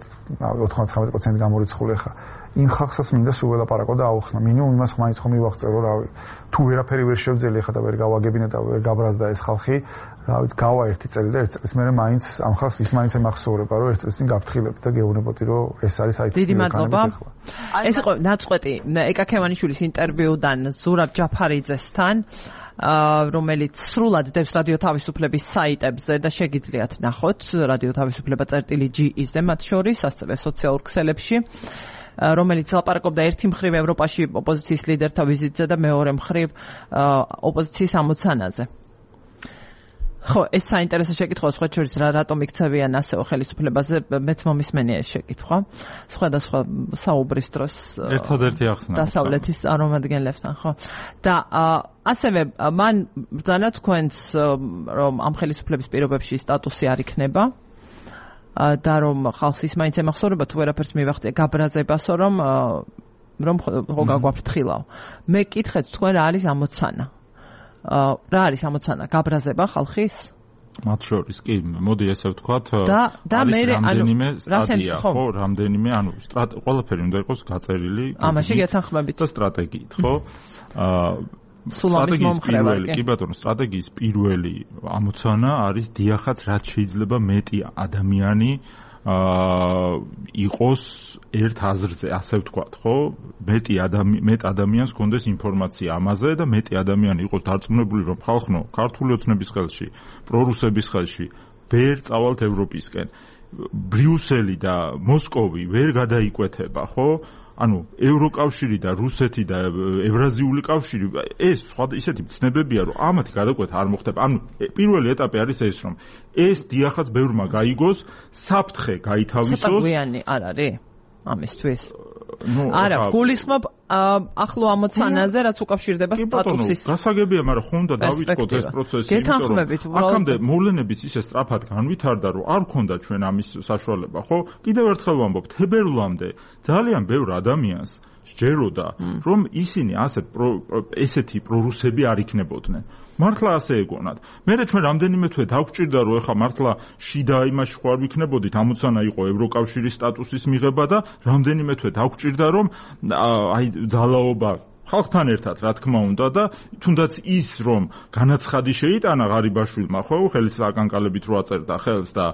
ოთხმოცდათხმეტი პროცენტი გამორიცხული ხა. იმ ხალხსაც მინდა სულ ველაპარაკო და აუხსნა. მინიმუმ იმას მაინც ხომ მივაღწევო, რავი. თუ ვერაფერი ვერ შევძელი ხა და ვერ გავაგებინე და ვერ გაბრაზდა ეს ხალხი, რა ვიცი, გავა ერთი წელი და ერთ წელს მერე მაინც ამ ხალხს ის მაინც ემახსოვრება, რომ ერთ წელს წინ გაფრთხილებთ და გეუბნებოდი, რომ ეს არის აი დიდი მადლობა. ეს იყო ნაწყვეტი ეკა ქევანიშვილის ინტერვიუდან ზურაბ ჯაფარიძესთან, რომელიც სრულად დევს რადიო თავისუფლების საიტებზე და შეგიძლიათ ნახოთ რადიო თავისუფლება წერტილი ჯი-ზე მათ შორის, ასევე სოციალურ ქსელებში. რომელიც ლაპარაკობდა ერთი მხრივ ევროპაში ოპოზიციის ლიდერთა ვიზიტზე და მეორე მხრივ ოპოზიციის ამოცანაზე. ხო, ეს საინტერესო შეკითხვა სხვა შორის რა რატომ იქცევიან ასეო ხელისუფლებაზე, მეც მომისმენია ეს შეკითხვა. სხვადასხვა საუბრის დროს ერთადერთი ახსნა დასავლეთის წარმომადგენლებთან, ხო. და ასევე მან ბრძანა თქვენს რომ ამ ხელისუფლების პირობებში სტატუსი არ იქნება. და რომ ხალხს ის მაინც ემახსოვრება თუ ვერაფერს მივახცე გაბრაზებასო რომ რომ ხო გაგვაფრთხილავ. მე კითხეთ თქვენ რა არის ამოცანა? რა არის ამოცანა? გაბრაზება ხალხის? მათ შორის კი, მოდი ესე ვთქვათ, არის რამდენიმე სტადია, ხო, რამდენიმე, ანუ ყველაფერი უნდა იყოს გაწერილი. ამაში გეთანხმებით და სტრატეგიით, ხო? აა სულამის მომხრევარი. კი ბატონო, სტრატეგიის პირველი ამოცანა არის დიახაც რაც შეიძლება მეტი ადამიანი აა იყოს ერთ აზრზე, ასე ვთქვათ, ხო? მეტი ადამი მეტ ადამიანს კონდეს ინფორმაცია ამაზე და მეტი ადამიანი იყოს დარწმუნებული, რომ ხალხო, ქართული ოცნების ხელში, პრორუსების ხელში ვერ წავალთ ევროპისკენ. ბრიუსელი და მოსკოვი ვერ გადაიკვეთება, ხო? ანუ ევროკავშირი და რუსეთი და ევრაზიული კავშირი ეს სხვა ისეთი ცნებებია, რომ ამათი გადაკვეთა არ მოხდება. ანუ პირველი ეტაპი არის ეს, რომ ეს დიახაც ბევრმა გაიგოს, საფრთხე გაითავისოს. ცოტა გვიანი არ არის ამისთვის. არა, გულისხმობ ახლო ამოცანაზე, რაც უკავშირდება სტატუსის. გასაგებია, მაგრამ ხომ და დავიწყოთ ეს პროცესი, იმიტომ რომ აქამდე მოვლენების ისე სწრაფად განვითარდა, რომ არ ქონდა ჩვენ ამის საშუალება, ხო? კიდევ ერთხელ ვამბობ, თებერვლამდე ძალიან ბევრ ადამიანს სჯეროდა, რომ ისინი ასე ესეთი პრორუსები არ იქნებოდნენ. მართლა ასე ეგონათ. მერე ჩვენ რამდენიმე თვე დაგვჭირდა, რომ ეხა მართლა შიდა იმაში ხوار ვიქნებოდით, ამოცანა იყო ევროკავშირის სტატუსის მიღება და რამდენიმე თვე დაგვჭირდა, რომ აი ძალაობა ხალხთან ერთად, რა თქმა უნდა და თუნდაც ის, რომ განაცხადი შეიტანა ღარიბაშვილმა, ხო, ხელის აკანკალებით რო აწერდა ხელს და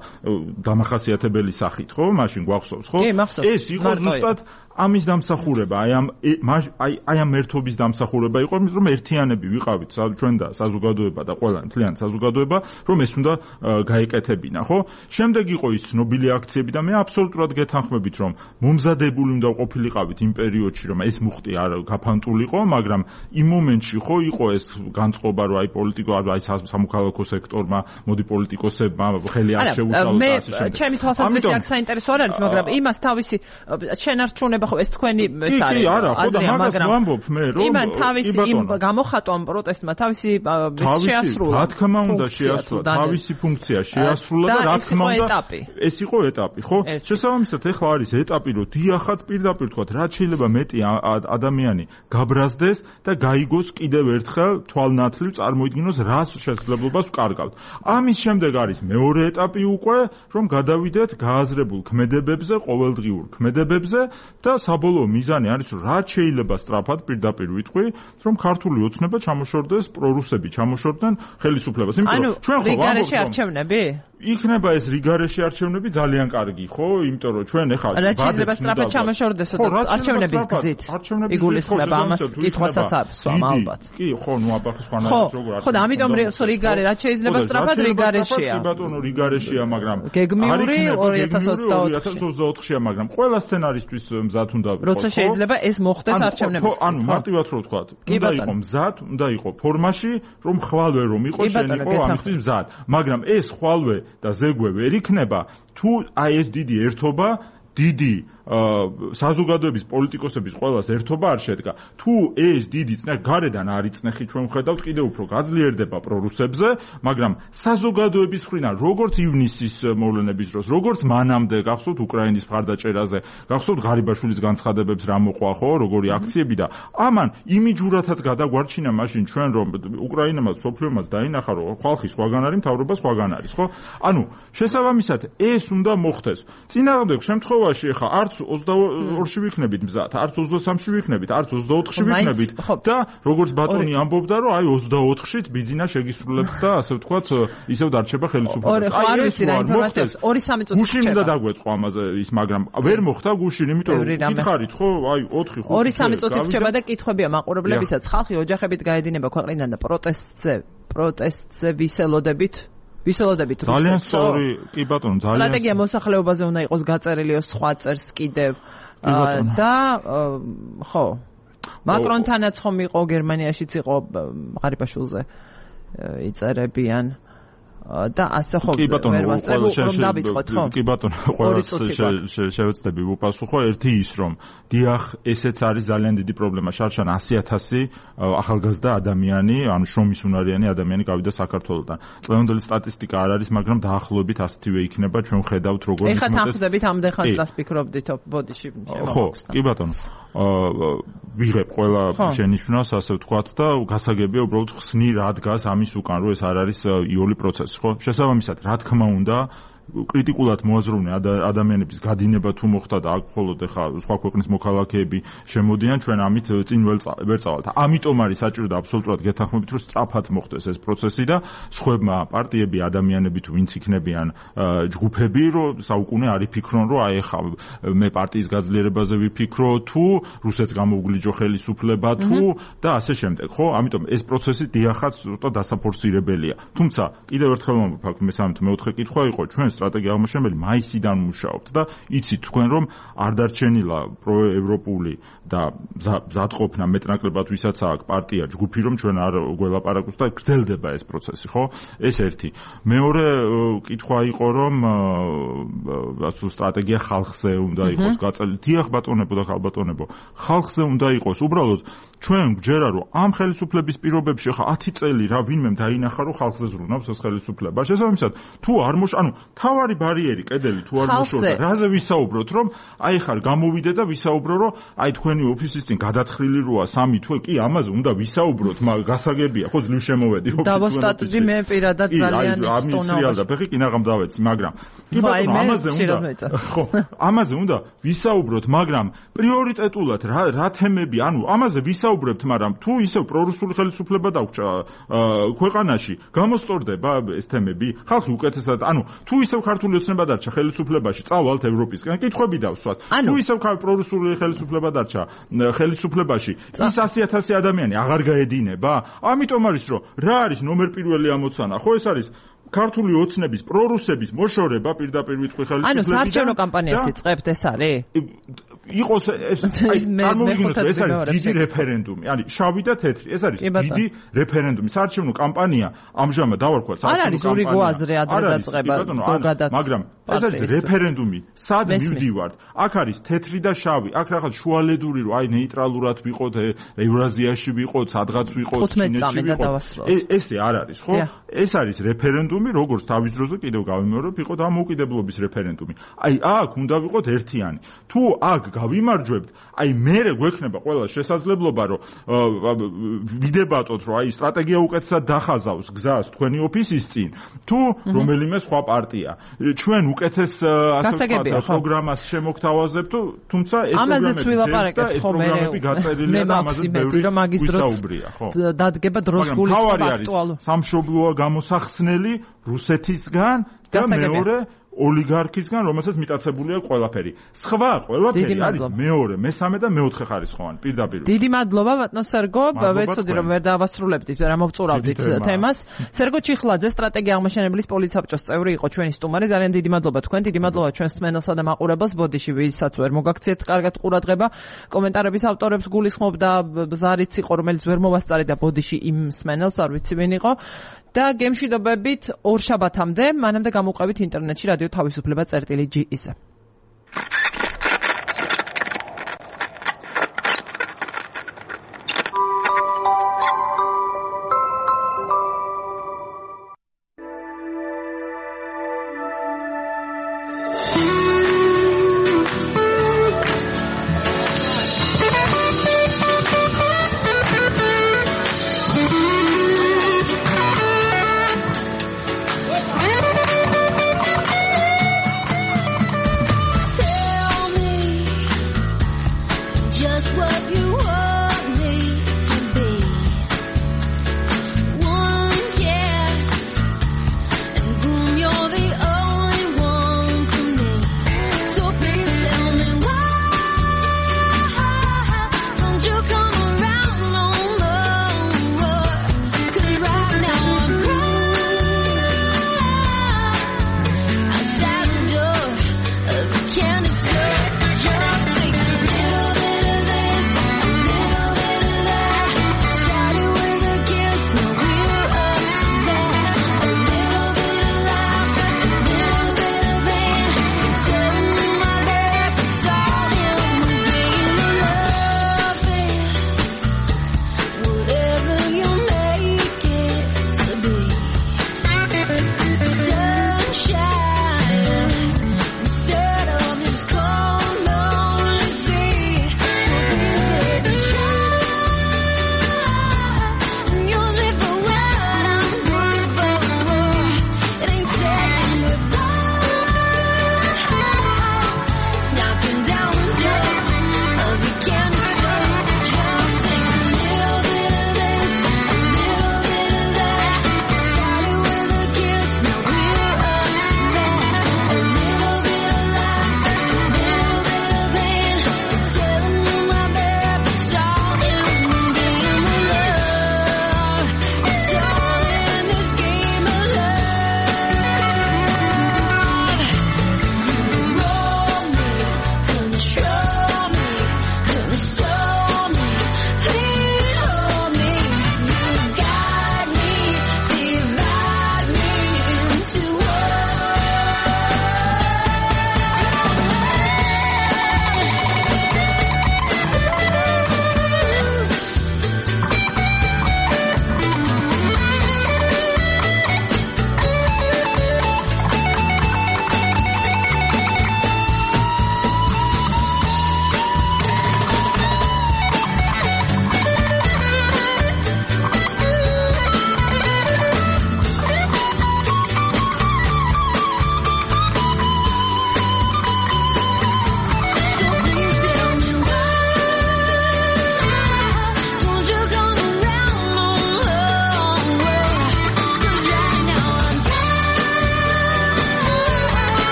დამახასიათებელი სახით, ხო, მაშინ გვახსოვს, ხო? ეს იყო ზუსტად ამის დამსახურება, აი ამ აი აი ამ ერთობის დამსახურება იყო, რომ ერთიანები ვიყავით ჩვენ და საზოგადოება და ყველანი თლიანი საზოგადოება, რომ ეს უნდა გაეკეთებინა, ხო? შემდეგ იყო ის ცნობილი აქციები და მე აბსოლუტურად გეთანხმებით, რომ მომზადებული უნდა ყოფილიყავით იმ პერიოდში, რომ ეს მუხტი არ გაფანტულიყო, მაგრამ იმ მომენტში ხო იყო ეს განწყობა, რომ აი პოლიტიკო, აი სამოქალაქო სექტორმა, მოდი პოლიტიკოსებმა ხელი არ შეუშალოს და ასე შემდეგ. არა, ჩემი თვალსაზრისით აქ საინტერესო არ არის, მაგრამ იმას თავისი შენარჩუნება ხო ეს თქვენი ეს არის. კი, არა, ხო და მაგას ვამბობ მე, რომ იმან თავისი იმ გამოხატვამ პროტესტმა თავისი შეასრულა. რა თქმა უნდა შეასრულა, თავისი ფუნქცია შეასრულა და რა თქმა უნდა ეს იყო ეტაპი, ხო? შესაბამისად ეხლა არის ეტაპი, რომ დიახაც პირდაპირ თქვათ, რაც შეიძლება მეტი ადამიანი გაბრაზდეს და გაიგოს კიდევ ერთხელ თვალნათლივ წარმოიდგინოს რას შესაძლებლობას ვკარგავთ. ამის შემდეგ არის მეორე ეტაპი უკვე, რომ გადავიდეთ გააზრებულ ქმედებებზე, ყოველდღიურ ქმედებებზე და საბოლოო მიზანი არის, რომ რაც შეიძლება სწრაფად პირდაპირ ვიტყვი, რომ ქართული ოცნება ჩამოშორდეს, პრორუსები ჩამოშორდნენ ხელისუფლებას. ანუ ჩვენ ხო რიგარეში არჩევნები? იქნება ეს რიგარეში არჩევნები ძალიან კარგი, ხო? იმიტომ რომ ჩვენ ახლა რაც შეიძლება სწრაფად ჩამოშორდეს არჩევნების გზით. იგულისხმება ამას კითხვასაც აქვს, ალბათ. კი, ხო, ნუ აბახის ხანაში როგორ არის. ხო, და ამიტომ რიგარე რაც შეიძლება სწრაფად რიგარეშია. კი ბატონო, რიგარეშია, მაგრამ გეგმიური ორი ათას ოცდაოთხია, მაგრამ ყველა სცენარისთვის მზად უნდა ვიყო. როცა შეიძლება ეს მოხდეს არჩევნებში. ანუ მარტივად რო ვთქვათ, უნდა იყო მზად, უნდა იყო ფორმაში, რომ ხვალვე რომ იყო შენ იყო ამისთვის მზად. მაგრამ ეს ხვალვე და ზეგვე ვერ იქნება, თუ აი ეს დიდი ერთობა, დიდი საზოგადოების პოლიტიკოსების ყველას ერთობა არ შედგა. თუ ეს დიდი წნეხი გარედან არ იწნეხი, ჩვენ ვხედავთ კიდევ უფრო გაძლიერდება პრორუსებზე, მაგრამ საზოგადოების მხრიდან როგორც ივნისის მოვლენების დროს, როგორც მანამდე გახსოვთ უკრაინის მხარდაჭერაზე, გახსოვთ ღარიბაშვილის განცხადებებს რა მოყვა, ხო, როგორი აქციები და ამან იმიჯურათაც გადაგვარჩინა მაშინ ჩვენ რომ უკრაინამაც სოფლიომაც დაინახა რომ ხალხი სხვაგან არის, მთავრობა სხვაგან არის, ხო? ანუ შესაბამისად ეს უნდა მოხდეს. წინააღმდეგ შემთხვევაში ხა არც ოცდაორში ვიქნებით მზად, არც ოცდასამში ვიქნებით, არც ოცდაოთხში ვიქნებით და როგორც ბატონი ამბობდა, რომ აი ოცდაოთხშიც ბიძინა შეგისრულებს და ასე ვთქვათ, ისევ დარჩება ხელისუფლება. აი ეს არ მოხდეს. ორი სამი წუთი გუშინ უნდა დაგვეწყო ამაზე ის, მაგრამ ვერ მოხდა გუშინ, იმიტომ რომ გითხარით, ხო, აი ოთხი ხუთი ორი სამი წუთი რჩება და კითხვებია მაყურებლებისაც. ხალხი ოჯახებით გაედინება ქვეყნიდან და პროტესტზე, პროტესტზე ვისელოდებით ვისელოდებით ძალიან სწორი, კი ბატონო, ძალიან სტრატეგია მოსახლეობაზე უნდა იყოს გაწერილი სხვა წერს კიდევ და ხო მაკრონთანაც ხომ იყო გერმანიაშიც იყო ღარიბაშვილზე იწერებიან და ასე ხო ვერ ვასწრებ რომ დავიწყოთ ხო კი ბატონო ყველას შევეცდები ვუპასუხო ერთი ის რომ დიახ ესეც არის ძალიან დიდი პრობლემა შარშან ასი ათასი ახალგაზრდა ადამიანი ანუ შრომის უნარიანი ადამიანი გავიდა საქართველოდან წლევანდელი სტატისტიკა არ არის მაგრამ დაახლოებით ასეთივე იქნება ჩვენ ხედავთ როგორ ეხლა თანხმდებით ამდენ ხანს წას ფიქრობდით ბოდიში ხო კი ბატონო ვიღებ ყველა შენიშვნას ასე ვთქვათ და გასაგებია უბრალოდ ხსნი რა დგას ამის უკან რომ ეს არ არის იული პროცესი ხო შესაბამისად რა თქმა უნდა კრიტიკულად მოაზროვნე ადამიანების გადინება თუ მოხდა და აქ მხოლოდ ეხა სხვა ქვეყნის მოქალაქეები შემოდიან, ჩვენ ამით წინ ვერ წავალთ. ამიტომ არის საჭირო და აბსოლუტურად გეთანხმებით, რომ სწრაფად მოხდეს ეს პროცესი და სხვებმა პარტიები, ადამიანები თუ ვინც იქნებიან ჯგუფები, რომ საუკუნე არ იფიქრონ, რომ აი ეხა მე პარტიის გაძლიერებაზე ვიფიქრო, თუ რუსეთს გამოვგლიჯო ხელისუფლება, თუ და ასე შემდეგ, ხო? ამიტომ ეს პროცესი დიახაც ზუსტად დასაფორსირებელია. თუმცა კიდევ ერთხელ მომბაქ მესამე თუ მეოთხე კითხვა იყო, ჩვენ სტრატეგია აღმაშენებელი მაისიდან მუშაობთ და იცით თქვენ რომ არ დარჩენილა პროევროპული და მზადყოფნა მეტნაკლებად ვისაც აქვს პარტია ჯგუფი რომ ჩვენ არ გველაპარაკოთ და გრძელდება ეს პროცესი, ხო? ეს ერთი. მეორე კითხვა იყო რომ ასო სტრატეგია ხალხზე უნდა იყოს გაწეული. დიახ ბატონებო და ხალბატონებო, ხალხზე უნდა იყოს. უბრალოდ ჩვენ გჯერა რომ ამ ხელისუფლების პირობებში ხა ათი წელი რა ვინმემ დაინახა რომ ხალხზე ზრუნავს ეს ხელისუფლება. შესაბამისად, თუ არ მოშ, ანუ თავარი ბარიერი კედელი თუ არ მოშორდა, რაზე ვისაუბროთ რომ აი ხარ გამოვიდე და ვისაუბრო რომ აი თქვენი ოფისის წინ გადათხრილი როა სამი თვე, კი ამაზე უნდა ვისაუბროთ, მაგრამ გასაგებია, ხო ძლივ შემოვედი ოფისში. დავოსტატდი მე პირადად ძალიან ხტონა. და ფეხი კინაღამ დავეცი, მაგრამ კი ბატონო, ამაზე უნდა ხო, ამაზე უნდა ვისაუბროთ, მაგრამ პრიორიტეტულად რა რა თემები, ანუ ამაზე ვისაუბრებთ, მაგრამ თუ ისევ პრორუსული ხელისუფლება დაგვჭა ქვეყანაში, გამოსწორდება ეს თემები, ხალხი უკეთესად, ანუ თუ ისევ ქართული ოცნება დარჩა ხელისუფლებაში, წავალთ ევროპისკენ, კითხვები დავსვათ. თუ ისევ პრორუსული ხელისუფლება დარჩა ხელისუფლებაში, ის ასი ათასი ადამიანი აღარ გაედინება? ამიტომ არის რომ რა არის ნომერ პირველი ამოცანა? ხო ეს არის ქართული ოცნების პრორუსების მოშორება პირდაპირ ვიტყვი ხელისუფლებიდან. ანუ საარჩევნო კამპანიას იწყებთ, ეს არის? იყოს ეს აი წარმოვიდგინოთ, ეს არის დიდი რეფერენდუმი, არის შავი და თეთრი, ეს არის დიდი რეფერენდუმი. საარჩევნო კამპანია ამჟამად დავარქვათ საარჩევნო კამპანია. არ არის ორი გვაზრე ადრე დაწყება ზოგადად. მაგრამ ეს არის რეფერენდუმი, სად მივდივართ? აქ არის თეთრი და შავი, აქ რაღაც შუალედური რომ აი ნეიტრალურად ვიყოთ, ევრაზიაში ვიყოთ, სადღაც ვიყოთ, ჩინეთში ვიყოთ. ესე არ არის, ხო? ეს არის რეფერენდუმი, როგორც თავის დროზე კიდევ გავიმეორებ, იყო დამოუკიდებლობის რეფერენდუმი. აი აქ უნდა ვიყოთ ერთიანი. თუ აქ გავიმარჯვებთ, აი მერე გვექნება ყველა შესაძლებლობა, რომ ვიდებატოთ, რომ აი სტრატეგია უკეთესად დახაზავს გზას თქვენი ოფისის წინ, თუ რომელიმე სხვა პარტია. ჩვენ უკეთეს ასე ვთქვათ, პროგრამას შემოგთავაზებთ, თუმცა ეს პროგრამები გაწერილია და ამაზე ბევრი ვისაუბრია, ხო? დადგება დროს გულისხმობა აქტუალურ. სამშობლოა გამოსახსნელი რუსეთისგან და მეორე ოლიგარქისგან, რომელსაც მიტაცებული აქვს ყველაფერი. სხვა ყველაფერი არის მეორე, მესამე და მეოთხე ხარისხოვანი პირდაპირ. დიდი მადლობა ბატონ სერგო, ვეცოდი რომ ვერ დავასრულებდით, ვერ ამოვწურავდით თემას. სერგო ჩიხლაძე, სტრატეგია აღმაშენებლის პოლიცსაბჭოს წევრი იყო ჩვენი სტუმარი. ძალიან დიდი მადლობა თქვენ, დიდი მადლობა ჩვენს მსმენელსა და მაყურებელს. ბოდიში ვისაც ვერ მოგაქციეთ კარგად ყურადღება. კომენტარების ავტორებს გულისხმობ და ზარიც იყო, რომელიც ვერ მოვასწარი და ბოდიში იმ მსმენელს არ ვიცი ვინ იყო. და გემშვიდობებით ორ შაბათამდე, მანამდე გამოვყევით ინტერნეტში რადიო თავისუფლება წერტილი ჯი-ზე.